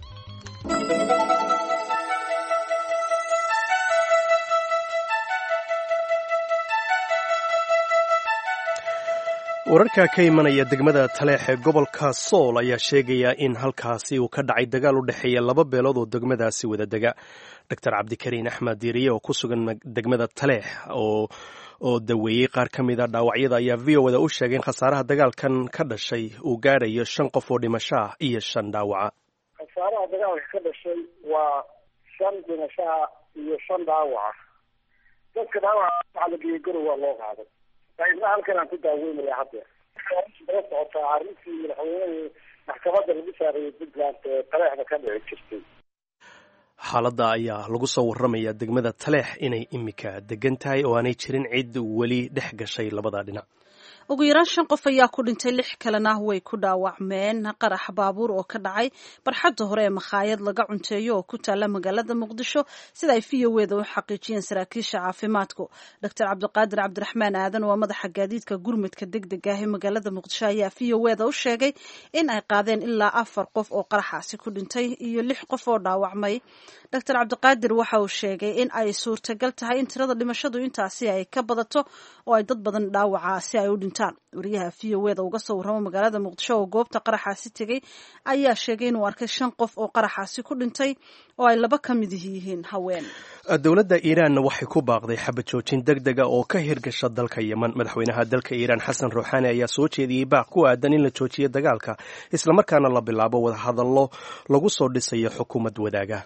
Wararka ka imanaya degmada Taleex ee gobolka Sool ayaa sheegaya in halkaasi uu ka dhacay dagaal u dhexeeya laba beelood oo degmadaasi wada dega. Doctor Cabdikariin Axmed Diiriye oo ku sugan degmada Taleex oo oo daweeyey qaar ka mid a dhaawacyada ayaa V O da u sheegay in khasaaraha dagaalkan ka dhashay uu gaarayo shan qof oo dhimasho ah iyo shan dhaawaca. Khasaaraha dagaalka ka dhashay waa shan dhimashaha iyo shan dhaawaca. Dadka dhaawaca waxaa la geeyey Garow, waa loo qaaday. Qaybna halkan aan ku daaweynaya haddeer. Daba socotaa arrintii madaxweynehi maxkamadda lagu saarayay Puntland ee Taleexda ka dhici jirtay. Xaaladda ayaa lagu soo warramaya degmada Taleex inay imika degan tahay oo aanay jirin cid weli dhex gashay labada dhinac. Ugu yaraan shan qof ayaa ku dhintay, lix kalena way ku dhaawacmeen qarax baabuur oo ka dhacay barxadda hore ee makhaayad laga cunteeyo oo ku taalla magaalada Muqdisho, sida ay V O eda u xaqiijiyeen saraakiisha caafimaadku. Doctor Cabdiqaadir Cabdiraxmaan Aadan waa madaxa gaadiidka gurmudka degdega ah ee magaalada Muqdisho ayaa V O eda u sheegay in ay qaadeen ilaa afar qof oo qaraxaasi ku dhintay iyo lix qof oo dhaawacmay. Doctor Cabdiqaadir waxa uu sheegay in ay suurtagal tahay in tirada dhimashadu intaasi ay ka badato oo ay dad badan dhaawaca si ay u dhintaan. Wariyaha V O eda uga soo warramo magaalada Muqdisho oo goobta qaraxaasi tegey ayaa sheegay inuu arkay shan qof oo qaraxaasi ku dhintay oo ay laba ka mid yihiin haween. Dowladda Iiraanna waxay ku baaqday xabad joojin deg dega oo ka hirgasha dalka Yeman. Madaxweynaha dalka Iiraan, Xasan Ruuxaani, ayaa soo jeediyey baaq ku aadan in la joojiyo dagaalka, islamarkaana la bilaabo wadahadallo lagu soo dhisayo xukuumad wadaaga.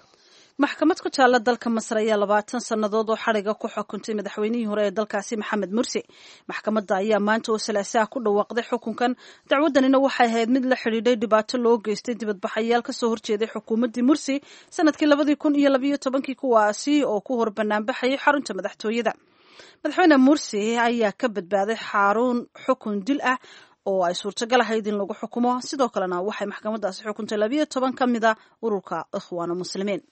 Maxkamad ku taalla dalka Masar ayaa labaatan sannadood oo xadhiga ku xukuntay madaxweynihii hore ee dalkaasi, Maxamed Mursi. Maxkamadda ayaa maanta oo Salaasaha ku dhawaaqday xukunkan. Dacwaddanina waxay ahayd mid la xidhiidhay dhibaato loo geystay dibadbaxayaal kasoo horjeeday xukuumaddii Mursi sanadkii labadii kun iyo labayo tobankii, kuwaasi oo ku hor banaanbaxayay xarunta madaxtooyada. Madaxweyne Mursi ayaa ka badbaaday xarun xukun dil ah oo ay suurtagal ahayd in lagu xukumo. Sidoo kalena waxay maxkamaddaasi xukuntay labayo toban ka mid a ururka Ikhwaanu Muslimiin.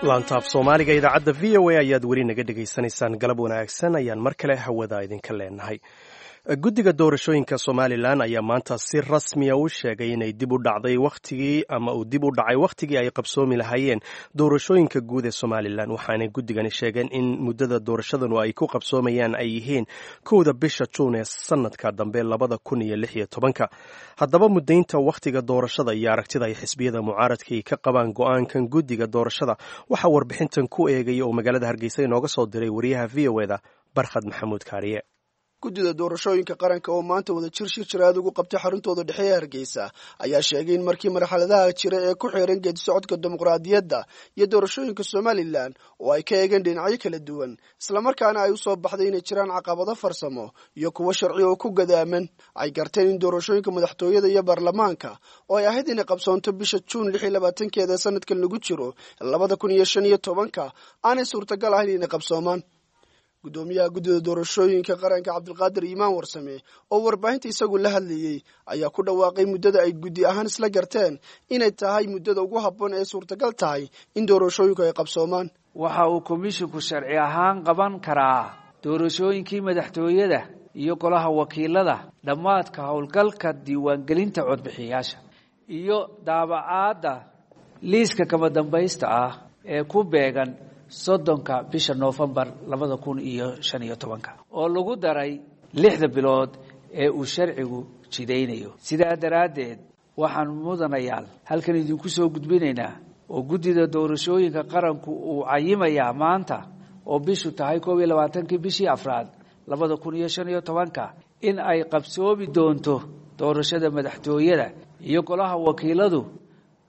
Laantaaf Soomaaliga idaacadda V O A ayaad weli naga dhegaysanaysaan. Galab wanaagsan ayaan mar kale hawada idinka leenahay. Guddiga doorashooyinka Somalilan ayaa maanta si rasmiya u sheegay inay dib u dhacday wakhtigii ama uu dib u dhacay wakhtigii ay qabsoomi lahaayeen doorashooyinka guud ee Somalilan. Waxaanay guddigani sheegeen in muddada doorashadanu ay ku qabsoomayaan ay yihiin kowda bisha Juun ee sanadka dambe labada kun iyo lix iyo tobanka. Haddaba, muddaynta wakhtiga doorashada iyo aragtida ay xisbiyada mucaaradka ay ka qabaan go-aankan guddiga doorashada waxaa warbixintan ku eegaya oo magaalada Hargeysa inooga soo diray wariyaha V O eda, Barkhad Maxamuud Kaariye. Guddida doorashooyinka qaranka oo maanta wada jir shir jiraad ugu qabtay xaruntooda dhexe ee Hargeysa ayaa sheegay in markii marxaladaha jira ee ku xeeran geedi socodka dimuqraadiyadda iyo doorashooyinka Somalilan oo ay ka eegeen dhinacyo kala duwan, islamarkaana ay usoo baxday inay jiraan caqabado farsamo iyo kuwo sharci oo ku gadaaman, ay garteen in doorashooyinka madaxtooyada iyo baarlamaanka oo ay ahayd inay qabsoonto bisha Juun lix iyo labaatankeeda sanadkan lagu jiro labada kun iyo shan iyo tobanka aanay suurtagal ahayn inay qabsoomaan. Guddoomiyaha guddida doorashooyinka qaranka, Cabdilqaadir Iimaan Warsame, oo warbaahinta isagu la hadlayey ayaa ku dhawaaqay muddada ay guddi ahaan isla garteen inay tahay muddada ugu habboon ee suurtagal tahay in doorashooyinku ay qabsoomaan. Waxa uu komishinku sharci ahaan qaban karaa doorashooyinkii madaxtooyada iyo golaha wakiilada dhammaadka howlgalka diiwaangelinta codbixiyayaasha iyo daabacaadda liiska kama dambaysta ah ee ku beegan soddonka bisha noofembar labada kun iyo shan iyo tobanka, oo lagu daray lixda bilood ee uu sharcigu jidaynayo. Sidaa daraaddeed waxaan mudanayaal halkan idinku soo gudbinaynaa oo guddida doorashooyinka qaranku uu cayimayaa maanta oo bishu tahay koob iyo labaatankii bishii afraad labada kun iyo shan iyo tobanka in ay qabsoomi doonto doorashada madaxtooyada iyo golaha wakiiladu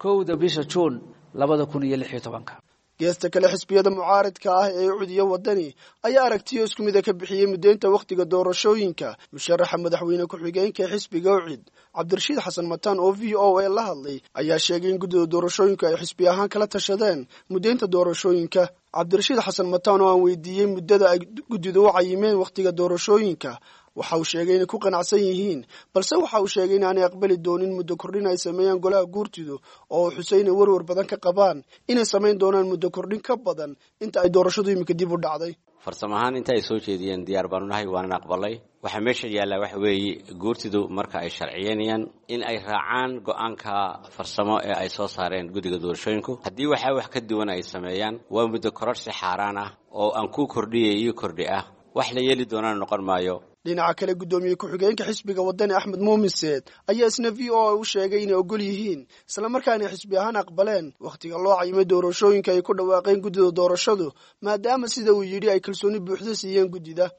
kowda bisha juun labada kun iyo lix iyo tobanka. Geesta kale, xisbiyada mucaaridka ah ee Ucudiyo Wadani ayaa aragtiyo isku mida ka bixiyey muddeynta wakhtiga doorashooyinka. Musharaxa madaxweyne ku-xigeenka xisbiga Ucid, Cabdirashiid Xasan Mataan, oo V O A la hadlay, ayaa sheegay in guddida doorashooyinku ay xisbi ahaan kala tashadeen muddeynta doorashooyinka. Cabdirashiid Xasan Mataan oo aan weydiiyey muddada ay guddidu u cayimeen wakhtiga doorashooyinka, waxa uu sheegay inay ku qanacsan yihiin, balse waxa uu sheegay in aanay aqbali doonin muddo kordhin ay sameeyaan golaha guurtidu, oo uu xusay inay warwar badan ka qabaan inay samayn doonaan muddo kordhin ka badan inta ay doorashadu iminka dib u dhacday. Farsamo ahaan inta ay soo jeediyeen diyaar baanu nahay, waanan aqbalay. Waxaa meesha yaallaa waxa weeye, guurtidu marka ay sharciyeynayaan in ay raacaan go-aanka farsamo ee ay soo saareen guddiga doorashooyinku. Haddii waxaa wax ka duwan ay sameeyaan, waa muddo kororsi xaaraan ah oo aan ku kordhiyay iyo kordhi ah, wax la yeeli doonana noqon maayo. Dhinaca kale, guddoomiye ku-xigeenka xisbiga Wadani, Axmed Muumin Seed, ayaa isna V O A u sheegay inay ogol yihiin islamarkaana xisbi ahaan aqbaleen wakhtiga loo cayimay doorashooyinka ay ku dhawaaqeen guddida doorashadu, maadaama sida uu yidhi ay kalsooni buuxda siiyeen guddida.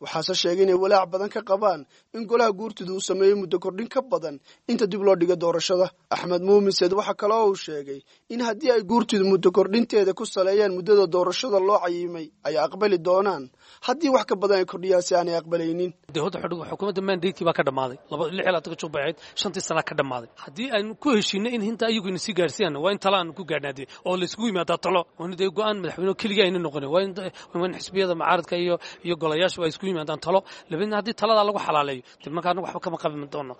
Waxaase sheegay inay walaac badan ka qabaan in golaha guurtidu uu sameeyo muddo kordhin ka badan inta dib loo dhigo doorashada. Axmed Muumin Seed waxa kale oo uu sheegay in haddii ay guurtidu muddo kordhinteeda ku saleeyaan muddada doorashada loo cayimay ay aqbali doonaan, haddii wax ka badan ay kordhiyaan si aanay aqbalaynin. Dee horta xukuumadda mandatekii baa ka dhammaaday, laba lix iyo labaatanka jug bay ahayd, shantii sana ka dhammaaday. Haddii aynu ku heshiinay in hinta ayagu ina sii gaarsiiyaan, waa in tala aanu ku gaadhnaa dee oo layskugu yimaadaa talo, waa in dee go-aan madaxweyne keligii ayna noqonin, waa in waa in xisbiyada mucaaradka iyo iyo golayaashu ay isku yimaadaan talo. Labaydna haddii taladaa lagu xalaaleeyo, dee marka anagu waxba kama qabi doono.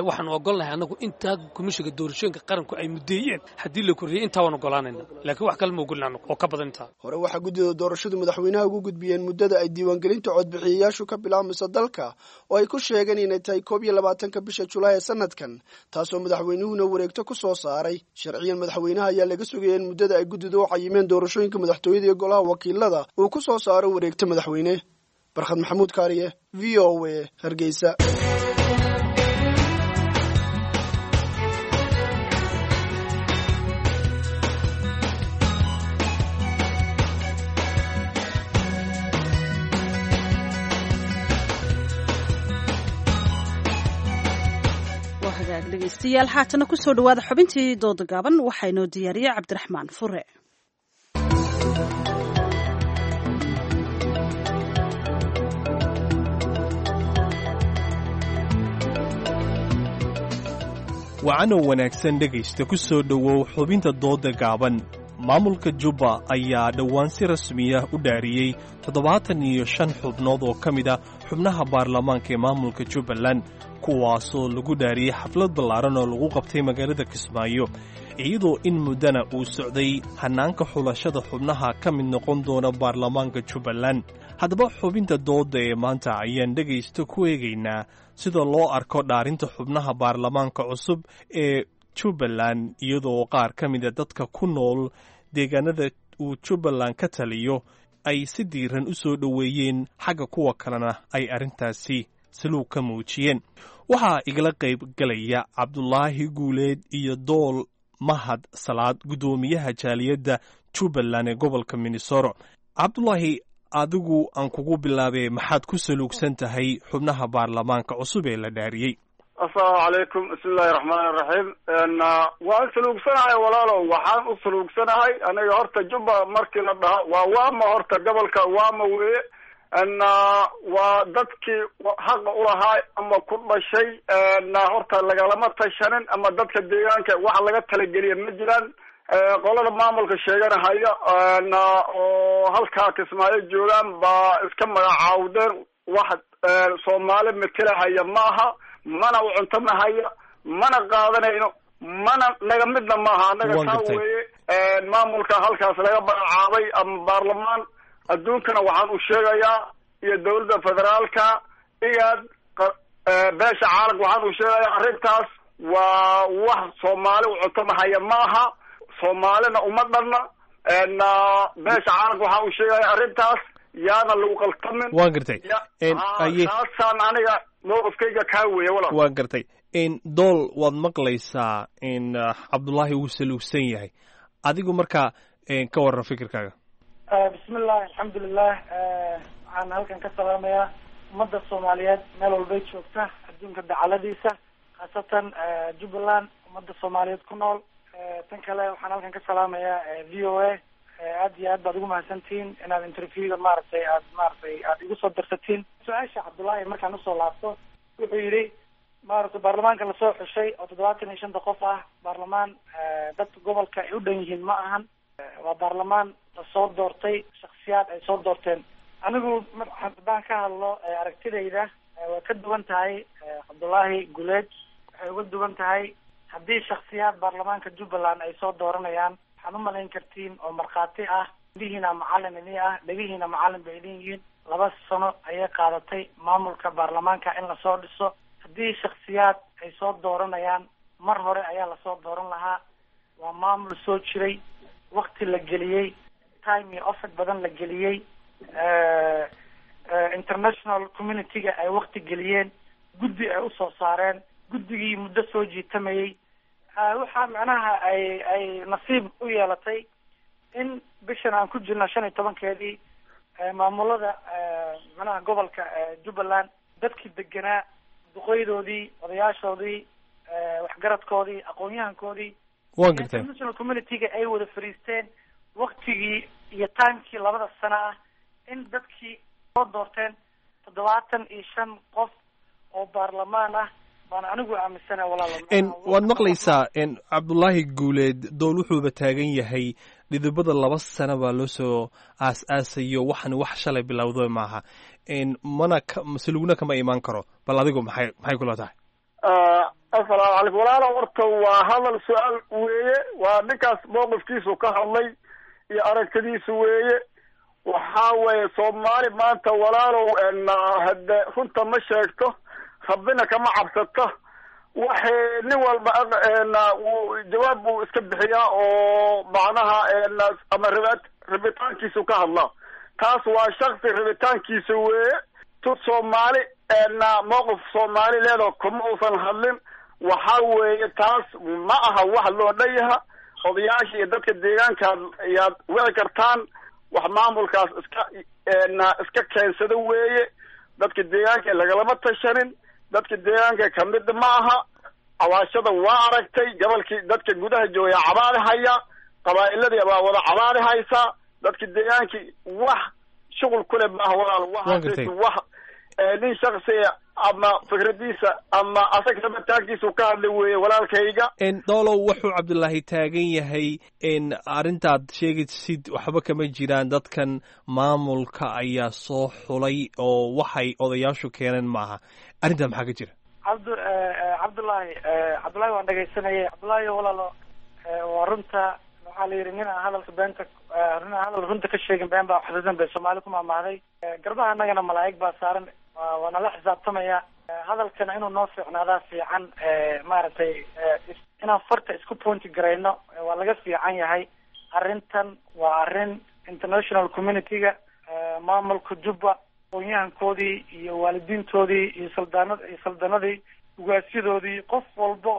Waxaanu ogolnahay anagu intaa komishiga doorashooyinka qaranku ay muddeeyeen haddii la kordhiyey intaa waan ogolaanayna, laakiin wax kale ma ogolin anagu oo ka badan intaa. Hore waxaa guddida doorashadu madaxweynaha ugu gudbiyeen muddada ay diiwaangelinta codbixiyayaashu ka bilaabmayso dalka, oo ay ku sheegeen inay tahay koob iyo labaatanka bisha Julaay ee sanadkan, taasoo madaxweynuhuna wareegto ku soo saaray. Sharciyan madaxweynaha ayaa laga sugaya in muddada ay guddida u cayimeen doorashooyinka madaxtooyada iyo golaha wakiilada uu ku soo saaro wareegto madaxweyne. Barkhad Maxamuud Kaariye, V O A, Hargeysa. Hagaag dhegeystayaal, haatana kusoo dhawaada xubintii dooda gaaban, waxaa inoo diyaariyey Cabdiraxmaan Fure. Wacanow wanaagsan dhegaysta, ku soo dhowow xubinta dooda gaaban. Maamulka Jubba ayaa dhowaan si rasmiya u dhaariyey toddobaatan iyo shan xubnood oo ka mid ah xubnaha baarlamaanka ee maamulka Jubbaland, kuwaasoo lagu dhaariyey xaflad ballaaran oo lagu qabtay magaalada Kismaayo, iyadoo in muddana uu socday hannaanka xulashada xubnaha ka mid noqon doona baarlamaanka Jubbaland. Haddaba xubinta dooda ee maanta ayaan dhegaysta ku eegaynaa sida loo arko dhaarinta xubnaha baarlamaanka cusub ee Jubbaland, iyadoo qaar ka mida dadka ku nool deegaanada uu Jubbaland ka taliyo ay si diiran u soo dhoweeyeen, xagga kuwa kalena ay arrintaasi saluug ka muujiyeen. Waxaa igala qayb galaya Cabdulaahi Guuleed iyo Dool Mahad Salaad, guddoomiyaha jaaliyadda Jubbaland ee gobolka Minnesota. Cabdulaahi, adigu aan kugu bilaabee, maxaad ku saluugsan tahay xubnaha baarlamaanka cusub ee la dhaariyey? Asalaamu calaykum, bismi illahi raxmaani raxiim. Waan saluugsanahay walaalow, waxaan u saluugsanahay aniga horta Jubba markii la dhaho waa waama, horta gobolka waama weye, waa dadkii xaqa ulahaa ama ku dhashay, horta lagalama tashanin ama dadka deegaanka wax laga talageliya ma jiraan. Qolada maamulka sheeganahaya oo halkaa Kismaayo joogaan baa iska magacaawdeen, wax Soomaali matalahaya ma aha, mana u cuntamahaya, mana qaadanayno, mana naga midna maaha annaga. Taa weeye maamulka halkaas laga magacaabay ama baarlamaan. Adduunkana waxaan u sheegayaa iyo dawladda federaalka igaad beesha caalamka waxaan u sheegayaa arrintaas waa wax Soomaali u cuntamahaya ma aha, Soomaalina uma dhanna, Beesha caalamka waxa uu sheegaya arrintaas yaana lagu qaltamin. Waan gartay. Taasaan aniga mowqifkayga kaa weeye walaal. Waan gartay. Dool, waad maqlaysaa in Cabdullaahi wuu saluugsan yahay. Adigu markaa ka warran fikirkaaga. Bismillahi, alxamdulilah. Waxaan halkan ka salaamayaa ummadda Soomaaliyeed meel walbay joogta adduunka dacaladiisa, khaasatan Jubbaland ummadda Soomaaliyeed ku nool. Tan kale waxaan halkan ka salaamayaa V O A. Aad iyo aad baad ugu mahadsantihiin inaad interviewga maaragtay aad maaragtay aad igu soo darsatiin. Su-aasha Cabdullaahi markaan usoo laabto, wuxuu yidhi maaragtay baarlamaanka lasoo xushay oo toddobaatan iyo shanta qof ah, baarlamaan dadka gobolka ay u dhan yihiin ma ahan, waa baarlamaan lasoo doortay, shaksiyaad ay soo doorteen. Anigu haddaan ka hadlo aragtidayda, waa ka duwan tahay Cabdullaahi Guleed. Waxay uga duwan tahay, haddii shaksiyaad baarlamaanka Jubbaland ay soo dooranayaan, waxaad umalayn kartiin oo markhaati ah, indhihiina macalin idin ah, dhegihiina macalin bay idin yihiin, laba sano ayay qaadatay maamulka baarlamaanka in lasoo dhiso. Haddii shaksiyaad ay soo dooranayaan, mar hore ayaa lasoo dooran lahaa. Waa maamul soo jiray, wakti la geliyey, time iyo effort badan la geliyey, international community-ga ay wakti geliyeen, guddi ay usoo saareen, guddigii muddo soo jiitamayey. Waxaa macnaha ay ay nasiib u yeelatay in bishan aan ku jirno shan iyo tobankeedii maamulada macnaha gobolka Jubbaland dadkii deganaa, duqeydoodii, odayaashoodii, waxgaradkoodii, aqoon-yahankoodii, Waan gartay. international community-ga ay wada fariisteen, waktigii iyo timekii labada sano ah in dadkii soo doorteen toddobaatan iyo shan qof oo baarlamaan ah baan anigu aaminsana, walaalo. Waad maqlaysaa Cabdullaahi Guuleed. Dool wuxuuba taagan yahay dhidibada laba sano baa loo soo aas-aasayo, waxan wax shalay bilowda maaha, mana masalugna kama imaan karo. Bal adigu maxay maxay kula tahay? Asalaamu calaykum walaalo. Horta waa hadal su-aal weeye, waa ninkaas mowqifkiisu ka hadlay iyo aragtidiisu weeye. Waxaa weeye Soomaali maanta walaalow hade runta ma sheegto, rabbina kama cabsato. Waxay nin walba uu jawaab buu iska bixiyaa oo macnaha ama rib rabitaankiisu ka hadlaa. Taas waa shaksi rabitaankiisa weeye. Tu Soomaali mowqif Soomaali leedaho kuma uusan hadlin. Waxa weeye taas ma aha wax loo dhan yaha. Odayaasha iyo dadka deegaankaad ayaad wici kartaan. Wax maamulkaas iska iska keensada weeye, dadka deegaanka lagalama tashanin, dadka deegaanka kamid ma aha. Cawaashada waa aragtay, gobolkii dadka gudaha joogaya cabaadi haya, qabaa'iladii baa wada cabaadi haysa. Dadka deegaankii wax shuqul kule maaha walaal. Waxaas wax nin shaksiya ama fikradiisa ama asaga rabitaankiisu ka hadlay weeye, walaalkayga. Doolow, wuxuu Cabdullaahi taagan yahay arrintaad sheegaysid waxba kama jiraan, dadkan maamulka ayaa soo xulay oo waxay odayaashu keeneen maaha. Arrintaa maxaa ka jira? Cabdu Cabdullaahi, Cabdullaahi waan dhegaysanayay. Cabdullaahi walaalo, waa runta. Waxaa la yidhi nin aan hadalka beenta, nin aan hadal runta ka sheegin been baa xasuusan bay Soomaali ku maamaahday. Garbaha annagana malaa'ig baa saaran, waa nala xisaabtamaya. Hadalkana inuu noo fiicnaadaa fiican, maaragtay inaan farta isku pointi garayno waa laga fiican yahay. Arrintan waa arrin international community-ga, maamulka Jubba, aqoon-yahankoodii iyo waalidiintoodii iyo saldaanad iyo saldanadii, ugaasyadoodii, qof walba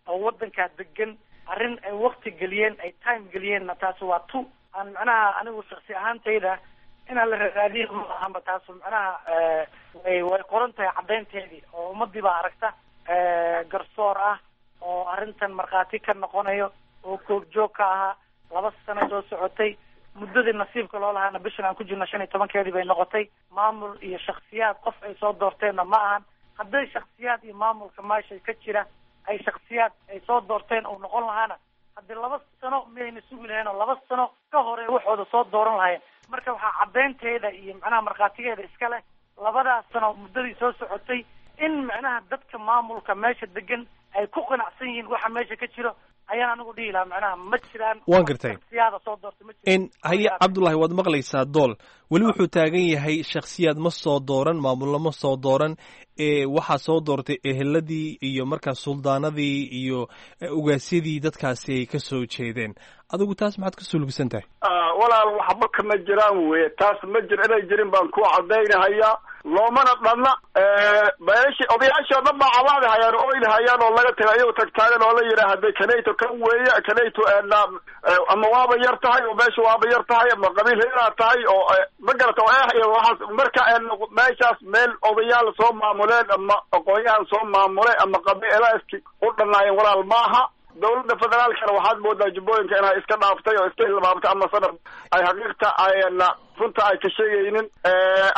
oo waddankaa degan arrin ay wakti geliyeen, ay time geliyeenna. Taasi waa tu aan macnaha anigu shaksi ahaantayda inaan la raadiyin ma ahanba. Taasu macnaha way way qoran tahay caddaynteedii oo ummadii baa aragta, garsoor ah oo arrintan markhaati ka noqonayo oo koogjoog ka ahaa, laba sano soo socotay. Muddadii nasiibka loo lahaana bishan aan ku jirno shan iyo tobankeedii bay noqotay. Maamul iyo shaksiyaad qof ay soo doorteenna ma ahan. Hadday shaksiyaad iyo maamulka meesha ka jira ay shaksiyaad ay soo doorteen uu noqon lahaana, haddii laba sano miyayna sugi lahayn oo laba sano ka hore waxooda soo dooran lahayn? Marka waxaa caddaynteeda iyo macnaha markhaatigeeda iska leh labadaas sano muddadii soo socotay in macnaha dadka maamulka meesha degan ay ku qanacsan yihiin waxa meesha ka jiro. Ayaan anigu dhihi lahaa, macnaha ma jiraan. Waan gartay. Shaksiyaada soo doortay ma jiraan. N haye Cabdullahi, waad maqlaysaa Dool weli wuxuu taagan yahay shakhsiyaad ma soo dooran, maamullo ma soo dooran, ee waxaa soo doortay eheladii iyo markaa suldaanadii iyo ugaasyadii dadkaasi ay ka soo jeedeen. Adigu taas maxaad ka sulugsan tahay? Walaal, waxba kama jiraan weye, taas ma jir, inay jirin baan ku cadaynahayaa. Loomana dhanna beeshi, odayaashii o dhan baa cabaadi hayaan oo oyli hayaan oo laga tagay, ayago tagtaagan oo la yidhaah hade kanayto kan weeye kanayto, ama waaba yar tahay oo meesha waaba yar tahay ama qabiil heeraa tahay oo ma garata oo eh iyo waxaas. Marka meeshaas meel odayaal soo maamuleen ama aqoon-yahan soo maamulay ama qabiilaaski u dhanaayeen, walaal, maaha. Dawladda federaalkana waxaad moodaa Jubbooyinka inay iska dhaaftay oo iska hilmaamtay, ama sana ay xaqiiqta ayna runta ay ka sheegaynin,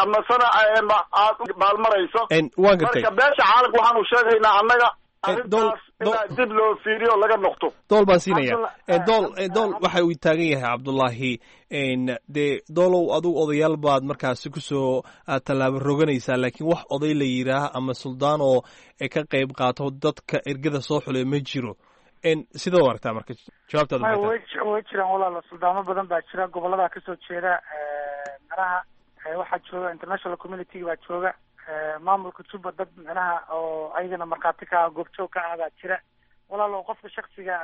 ama sana aad u baalmarayso. Waan gartay. Marka beesha caalamka waxaanu sheegaynaa annaga arrintaas inaa dib loo fiiriyo, laga noqto. Dool baan siinaya. Dool, Dool, waxa uu taagan yahay Cabdullaahi, dee Doolow, adugu odayaal baad markaasi kusoo tallaabo roganaysaa, laakiin wax oday la yidhaah ama suldaan oo ka qayb qaato dadka ergada soo xulay ma jiro. Sidoo aragtaa marka jawaabtaada? May, way way jiraan walaalo, suldaamo badan baa jira gobollada kasoo jeeda. Micnaha waxaa jooga international community baa jooga, maamulka Juba dad micnaha oo ayagana markhaati ka ah, goobjoog ka ah baa jira. Walaalo, qofka shaksiga,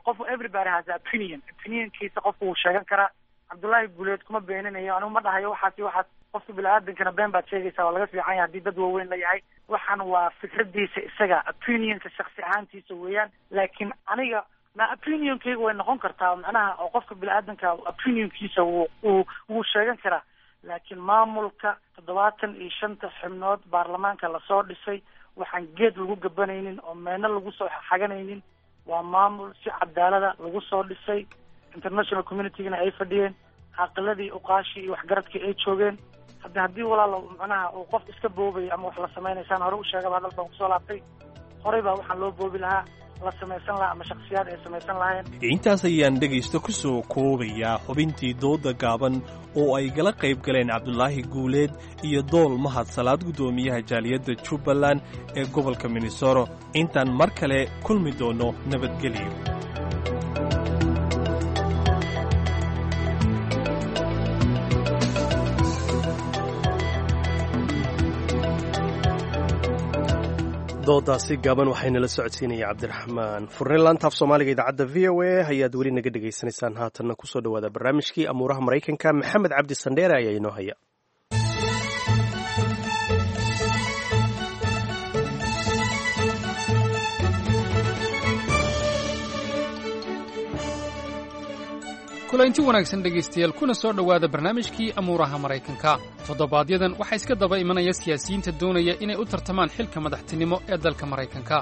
qof, everybody has opinion, opinionkiisa qofku wuu sheegan karaa. Cabdullaahi Guuleed kuma beeninayo, anigu ma dhahayo waxaas iyo waxaas. Qofka bini-aadankana been baad sheegaysaa waa laga fiican yahay haddii dad waaweyn la yahay. Waxaan waa fikradiisa isaga, opinionka shaksi ahaantiisa weeyaan, laakiin aniga ma opinionkayga way noqon kartaa macnaha oo qofka bini-aadanka opinionkiisa wuu wuu wuu sheegan karaa. Laakiin maamulka toddobaatan iyo shanta xubnood baarlamaanka lasoo dhisay, waxaan geed lagu gabanaynin oo meelna lagu soo xaganaynin, waa maamul si cadaalada lagu soo dhisay, international communitygana ay fadhiyeen, caqiladii, uqaashii iyo waxgaradkii ay joogeen. Hadda haddii walaalo macnaha uu qof iska boobayo ama wax la samaynaysaan, hore u sheegaba, hadal baan kusoo laabtay, horey baa waxaan loo boobi lahaa, la samaysan lahaa ama shaksiyaad ay samaysan lahayn. Intaas ayaan dhegaysto ku soo koobayaa xubintii dooda gaaban oo ay gala qayb galeen Cabdulaahi Guuleed iyo Dool Mahad Salaad, guddoomiyaha jaaliyadda Jubbaland ee gobolka Minnesota. Intaan mar kale kulmi doono, nabadgelyo. Doodaasi gaaban waxaynala socodsiinaya Cabdiraxmaan Furne. Laantaaf Soomaaliga idaacadda V O A ayaad weli naga dhegaysanaysaan. Haatanna kusoo dhawaada barnaamijkii amuuraha Maraykanka. Maxamed Cabdi Sandheere ayaa inoo haya. Kulaynti wanaagsan dhegaystayaal, kuna soo dhowaada barnaamijkii amuuraha Maraykanka. Toddobaadyadan waxaa iska daba imanaya siyaasiyiinta doonaya inay u tartamaan xilka madaxtinimo ee dalka Maraykanka.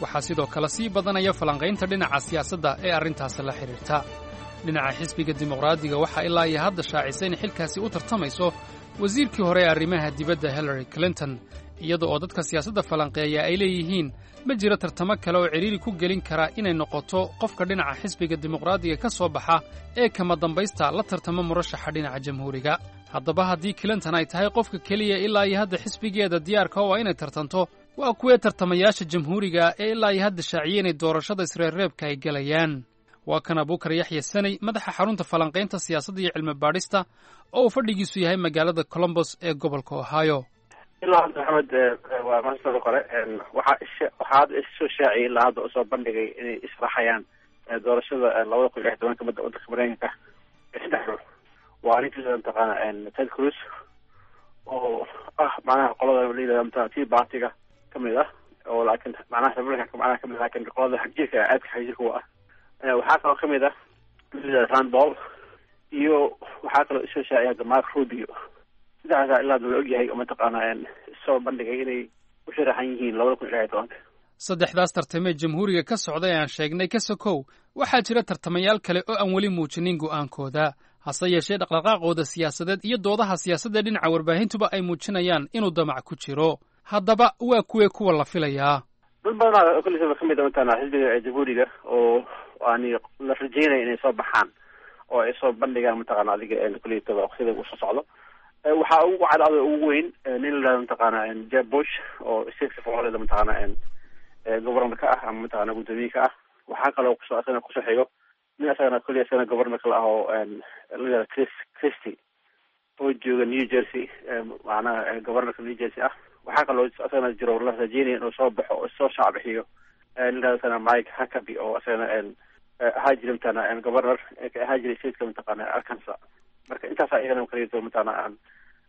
Waxaa sidoo kale sii badanaya falanqaynta dhinaca siyaasadda ee arrintaasi la xidhiirta. Dhinaca xisbiga Dimuqraadiga waxaa ilaa iyo hadda shaacisay in xilkaasi u tartamayso wasiirkii hore ee arrimaha dibadda Hillary Clinton, iyada oo dadka siyaasadda falanqeeya ay leeyihiin ma jiro tartamo kale oo cidhiiri ku gelin kara inay noqoto qofka dhinaca xisbiga Dimuqraadiga ka soo baxa ee kama dambaysta la tartamo murashaxa dhinaca Jamhuuriga. Haddaba haddii Clinton ay tahay qofka keliya ilaa iyo hadda xisbigeeda diyaarka oo inay tartanto, waa kuwee tartamayaasha Jamhuuriga ee ilaa iyo hadda shaaciyey inay doorashada isreerreebka ay gelayaan? Waa kan Abuukar Yaxya Saney, madaxa xarunta falanqaynta siyaasadda iyo cilmi baadhista oo uu fadhigiisu yahay magaalada Colombos ee gobolka Ohio. Ilaa hadda, Maxamed, waa maasada kore, waxaa is waxaa hadda issoo shaaciyay, ilaa hadda usoo bandhigay inay israaxayaan doorashada labada kun iyo lix tobanka madda waddanka Mareykanka saddex ruux. Waa ninka mataqaana Ted Cruz oo ah macnaha qolada la yidhahda mataqana Tea Party-ga kamid ah, oo laakiin macnaha Republicanka macnaha kamid, laakiin qolada xagjirka, aadka xagjirka u ah. Waxaa kaloo kamid ah Rand Paul iyo waxaa kaloo isoo shaaciyay hadda Mark Rubio. Saddexdaasa ilaa hadda la ogyahay oo mataqaana soo bandhigay inay u sharaxan yihiin labada kun iyo lix iyo tobanka. Saddexdaas tartamee Jamhuuriga ka socday aan sheegnay ka sokow, waxaa jira tartamayaal kale oo aan weli muujinin go'aankooda, hase yeeshee dhaqdhaqaaqooda siyaasadeed iyo doodaha siyaasadda dhinaca warbaahintuba ay muujinayaan inuu damac ku jiro. Haddaba waa kuwee kuwa la filayaa? Dad badanaa kullisaba kamid a mataqaana xisbiga Jamhuuriga oo ani la rajeynaya inay soo baxaan oo ay soo bandhigaan mataqaana adiga kulliyataba waqtiyada uu soo socdo. Waxaa ugu cadcada ugu weyn nin la yidhahdo mataqaana Jeb Bush oo stateka Florida mataqaana governor ka ah ama mataqaana guddoomiye ka ah. Waxaa kaloo kusoo asagana kusoo xigo nin asagana kulli asagana governor kale ah oo la yihahdo Chris Christie oo jooga New Jersey, macnaha governorka New Jersey ah. Waxaa kaloo asagana jiro la rajeynaya inuu soo baxo oo soo shaac bixiyo nin la asagana Mike Huckabee oo asagana ahaa jira mataqaana governor ka ahaa jiray stateka mataqaana Arkansas. Marka intaasaa iyagana kaleeto mataqaana aan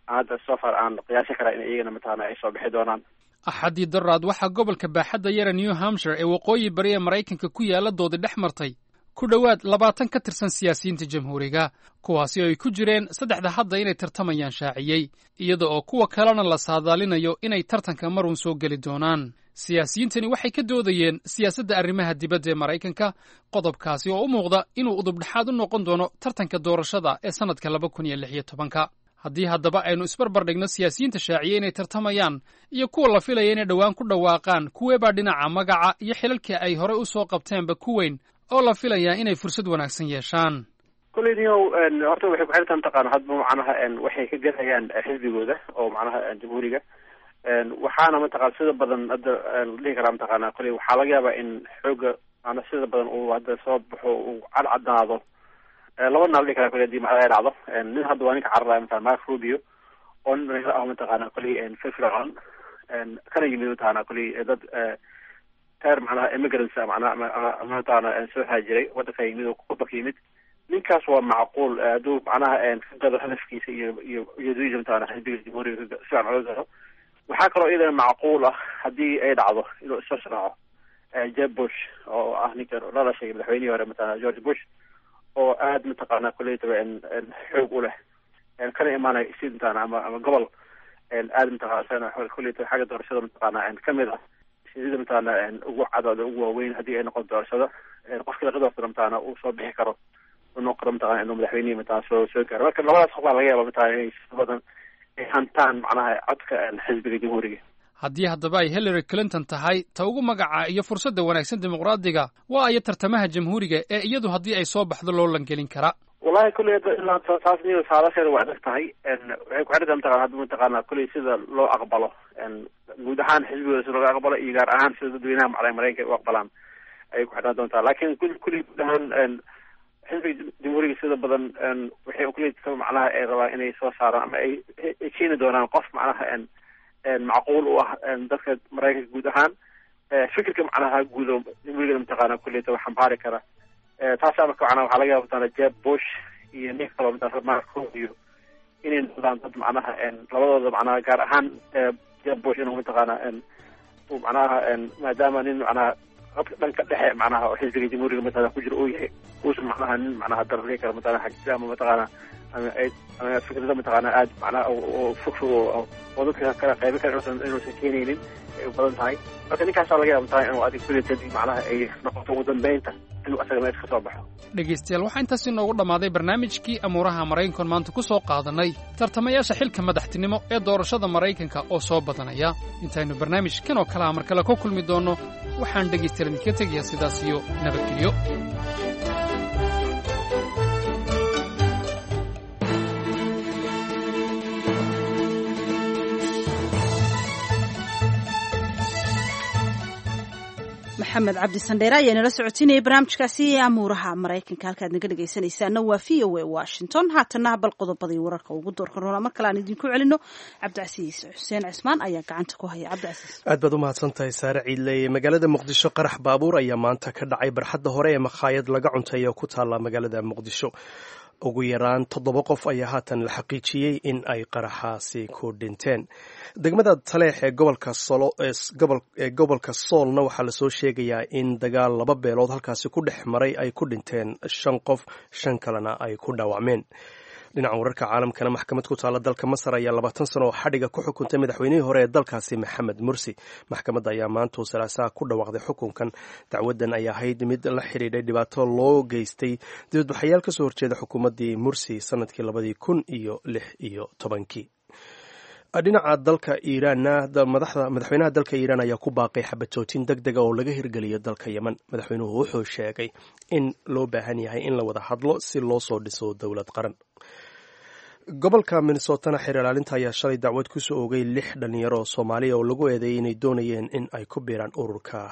hadda so far aan qiyaasi karaa in iyagana mataqaana ay soo bixi doonaan. Axaddii daraad waxaa gobolka baaxadda yara New Hampshire ee waqooyi bari ee Maraykanka ku yaalla doodi dhex martay ku dhowaad labaatan ka tirsan siyaasiyiinta Jamhuuriga, kuwaasi oo ay ku jireen saddexda hadda inay tartamayaan shaaciyey, iyada oo kuwa kalena la saadaalinayo inay tartanka marun soo geli doonaan. Siyaasiyiintani waxay ka doodayeen siyaasadda arrimaha dibadda ee Maraykanka, qodobkaasi oo u muuqda inuu udubdhexaad u noqon doono tartanka doorashada ee sannadka laba kun iyo lix iyo tobanka. Haddii haddaba aynu isbarbar dhigno siyaasiyiinta shaaciye inay tartamayaan iyo kuwa la filaya inay dhowaan ku dhawaaqaan, kuweebaa dhinaca magaca iyo xilalkii ay horey u soo qabteenba ku weyn oo la filayaa inay fursad wanaagsan yeeshaan? Kolley niyow, horta waxay ku xirtaa mataqaana hadba macnaha waxay ka gadayaan xisbigooda oo macnaha Jamhuuriga. Waxaana mataqana sida badan hadda la dhihi karaa mataqaana kolley waxaa laga yaabaa in xooga maanaa sida badan uu hadda soo baxo uu cadcadaado laba naa la dhihi karaa. Kolley hadii macnaha ay dhacdo, nin hadda waa ninka cararaya mataqana Mark Rubio oo nin dhalinyaro ah mataqaana kolley firfircoon, kana yimid mataqaana kolley dad teer macnaha immigrants macnaha ama mataqaana soo haajiray waddanka yimid oo wadanka yimid. Ninkaas waa macquul hadduu macnaha ka gado hadafkiisa iyo iyo ujeedooyinka mataqaana xisbiga Jamhuuriga si fiican oga gado. Waxaa kaloo iyadana macquul ah haddii ay dhacdo inuu isoo sharaxo Jeb Bush oo ah ninka la dhashay madaxweynihii hore mataqaana George Bush, oo aad mataqaana kolleytaba xoog u leh, kana imaanaya state mataqaana ama ama gobol aad mataqaana isagana kolleytaba xagga doorashada mataqaana kamid ah sida mataqaana ugu cadooda ugu waaweyn. Haddii ay noqoto doorashada qofkii laga doortana mataqaana uu soo bixi karo, uu noqon karo mataqaana inuu madaxweynihii mataqaana soo soo gaaro. Marka labadaas qof baa laga yaaba mataqaana inay si badan ay hantaan macnaha codka xisbiga Jamhuuriga. Haddii haddaba ay Hillary Clinton tahay ta ugu magaca iyo fursadda wanaagsan Dimuqraadiga, waa ayo tartamaha Jamhuuriga ee iyadu haddii ay soo baxdo loo langelin kara? Wallahi kulley hadda ilaa taas niyo saadasheeda waa adag tahay. Waxay ku xidhan mataqana hadda mataqaana kulley sida loo aqbalo guud ahaan xisbigooda sida looga aqbalo iyo gaar ahaan sida dadweynaha macalay Maraykanka ay u aqbalaan ayay ku xidhan doontaa. Laakiin kulley guud ahaan xisbiga Jamhuuriga sida badan waxay kulley macnaha ay rabaan inay soo saaraan ama ay ay keeni doonaan qof macnaha macquul u ah dadka Maraykanka guud ahaan, fikirka macnaha guud oo Jamhuuriga mataqaana kulleyta wax xambaari kara. Taasaa marka macnaha waxaa laga yaaba mataqaana Jeb Bush iyo nin kaloo mataqaana Mark Rubio inay noqdaan dad macnaha labadooda macnaha gaar ahaan Jeb Bush inuu mataqaana uu macnaha maadaama nin macnaha dhanka dhexe macnaha oo xisbiga Jamhuuriga mataqaana ku jira uu yahay, uusan macnaha nin macnaha darari kara mataqaana xagsi ama mataqaana ama ama fikrada mataqaana aad macnaha oo fog fog oo dadka kala qaybi kara inuusan inuusan keenaynin ay u badan tahay. Marka ninkaasaa laga yaaba mataqaana inuu adig kuletadi macnaha ay noqoto ugu dambeynta inuu asaga meesha kasoo baxo. Dhegaystayaal, waxaa intaas inoogu dhammaaday barnaamijkii amuuraha Maraykankoon maanta ku soo qaadanay tartamayaasha xilka madaxtinimo ee doorashada Maraykanka oo soo badanaya. Intaynu barnaamijkan oo kalea mar kale ku kulmi doonno, waxaan dhegaystayaal idinka tegayaa sidaas iyo nabadgelyo. Maxamed Cabdi Sandheere ayaa inala socotinayay barnaamijkaasi amuuraha Maraykanka. Halkaad naga dhegaysanaysaana waa V O A Washington. Haatana bal qodobadii wararka ugu doorka roona mar kale aan idinku celino. Cabdicasiis Xuseen Cismaan ayaa gacanta ku haya. Cabdicasiis. Aad baad u mahadsan tahay, Saare Ciidley. Magaalada Muqdisho qarax baabuur ayaa maanta ka dhacay barxadda hore ee makhaayad laga cunteeya ku taalla magaalada Muqdisho. Ugu yaraan toddoba qof ayaa haatan la xaqiijiyey in ay qaraxaasi ku dhinteen. Degmada Taleex ee gobolka ee gobolka Soolna waxaa lasoo sheegayaa in dagaal laba beelood halkaasi ku dhex maray ay ku dhinteen shan qof, shan kalena ay ku dhaawacmeen. Dhinaca wararka caalamkana, maxkamad ku taalla dalka Masar ayaa labaatan sano oo xadhiga ku xukuntay madaxweynihii hore ee dalkaasi Maxamed Mursi. Maxkamadda ayaa maantuu Salaasaha ku dhawaaqday xukunkan. Dacwadan ayaa ahayd mid la xidhiidhay dhibaato loo geystay dibadbaxayaal kasoo horjeeda xukuumaddii Mursi sanadkii labadii kun iyo lix iyo tobankii. Dhinaca dalka Iiraanna, madaxda madaxweynaha dalka Iiraan ayaa ku baaqay xabad joojin deg dega oo laga hirgeliyo dalka Yemen. Madaxweynuhu wuxuu sheegay in loo baahan yahay in la wada hadlo si loo soo dhiso dowlad qaran. Gobolka Minnesotana xeer ilaalinta ayaa shalay dacwad kusoo oogay lix dhalinyaro oo Soomaaliya oo lagu eedeeyay inay doonayeen in ay ku biiraan ururka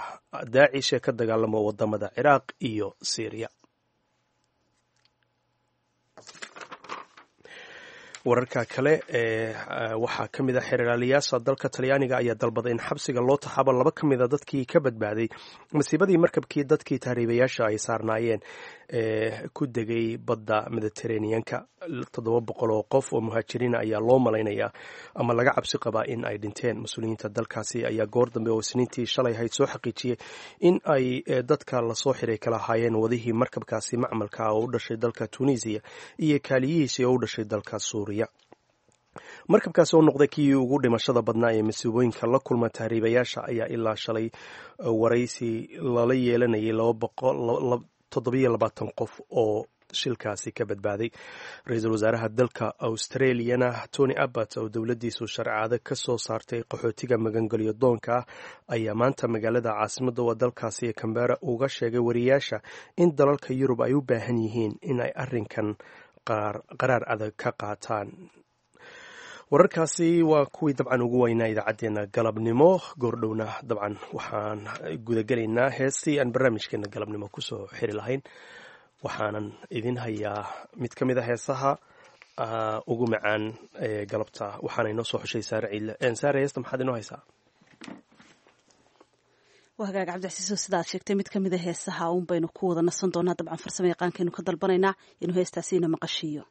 Daacish ee ka dagaalamo wadamada Ciraaq iyo Syriya. Wararka kale ee waxaa ka mid a xeer ilaaliyaasha dalka Talyaaniga ayaa dalbaday in xabsiga loo taxaabo laba ka mid a dadkii ka badbaaday masiibadii markabkii dadkii tahriibayaasha ay saarnaayeen ee ku degay badda Mediteraneanka. Toddoba boqol oo qof oo muhaajiriina ayaa loo malaynayaa ama laga cabsi qabaa in ay dhinteen. Mas-uuliyiinta dalkaasi ayaa goor dambe oo Isniintii shalay ahayd soo xaqiijiyey in ay dadka lasoo xiray kala ahaayeen wadihii markabkaasi macmalka ah oo u dhashay dalka Tunisiya iyo kaaliyihiisii oo u dhashay dalka Suuriya. Markabkaasi oo noqday kii ugu dhimashada badnaa ee masiibooyinka la kulma tahriibayaasha ayaa ilaa shalay waraysi lala yeelanayay toddobiyo labaatan qof oo shilkaasi ka badbaaday. Ra-iisul wasaaraha dalka Australiana Tony Abbott oo dowladdiisu sharcaado ka soo saartay qaxootiga magangelyo doonka ah ayaa maanta magaalada caasimadda waa dalkaasi ee Cambera uga sheegay wariyaasha in dalalka Yurub ay u baahan yihiin in ay arrinkan qaraar adag ka qaataan. Wararkaasi waa kuwii dabcan ugu weynaa idaacaddeenna galabnimo. Goordhowna dabcan waxaan gudagelaynaa heestii aan barnaamijkeena galabnimo kusoo xiri lahayn, waxaanan idin hayaa mid ka mid a heesaha ugu macaan ee galabta, waxaana inoo soo xushay Saare Ciidle. Saare, heesta maxaad inoo haysaa? Waa hagaag Cabdicasiiso, sidaad sheegtay mid ka mid a heesaha uun baynu ku wada nasan doonaa. Dabcan farsamo yaqaankaynu ka dalbanaynaa inuu heestaasi ina maqashiiyo.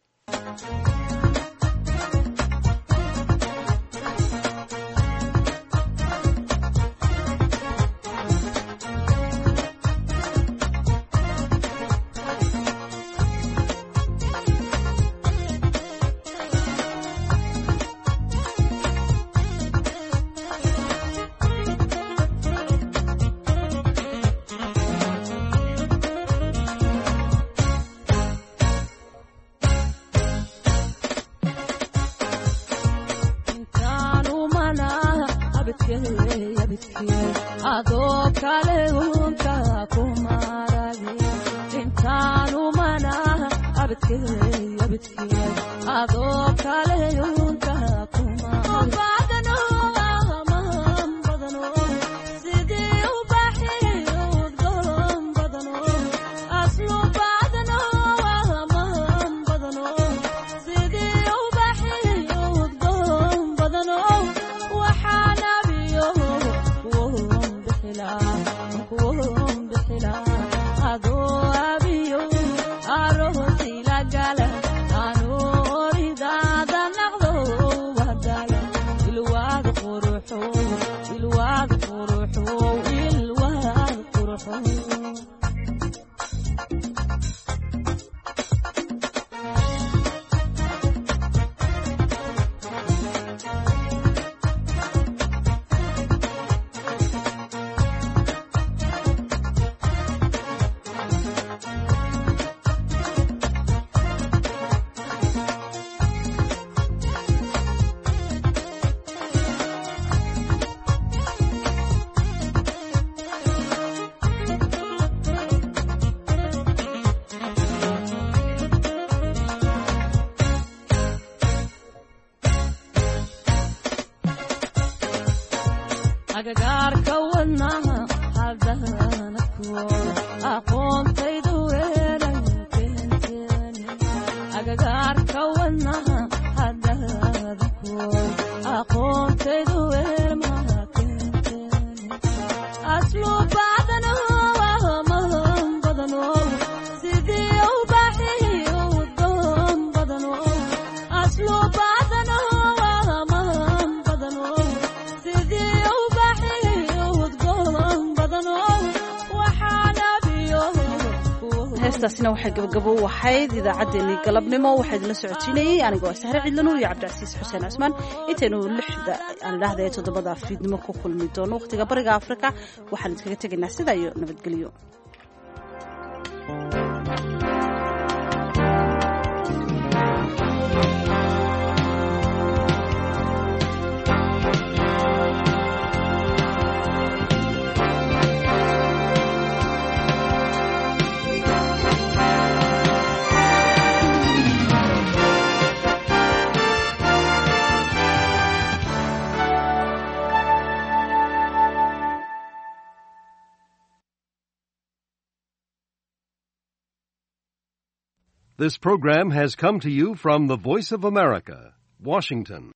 Agagaarka wadnaha hadana kuwo aqoontaydu weeran keenteen, agagaarka wadnaha hadana kuwo aqoontaydu weermaha keenteen, aslu badano mahan badano sidii ubaxiyo udgoon badano, aslu badano mahan badano sidii Heestaasina waxay gabagabo u ahayd idaacaddeenii galabnimo. Waxaa idinla socotiinayey anigoo ah Sahre Ciidlanuur iyo Cabdicasiis Xuseen Cusmaan. Intaynu lixda aan idhaahda ee toddobada fiidnimo ku kulmi doono wakhtiga Bariga Afrika, waxaan idinkaga tegaynaa sidaa iyo nabadgelyo. This program has come to you from the Voice of America, Washington.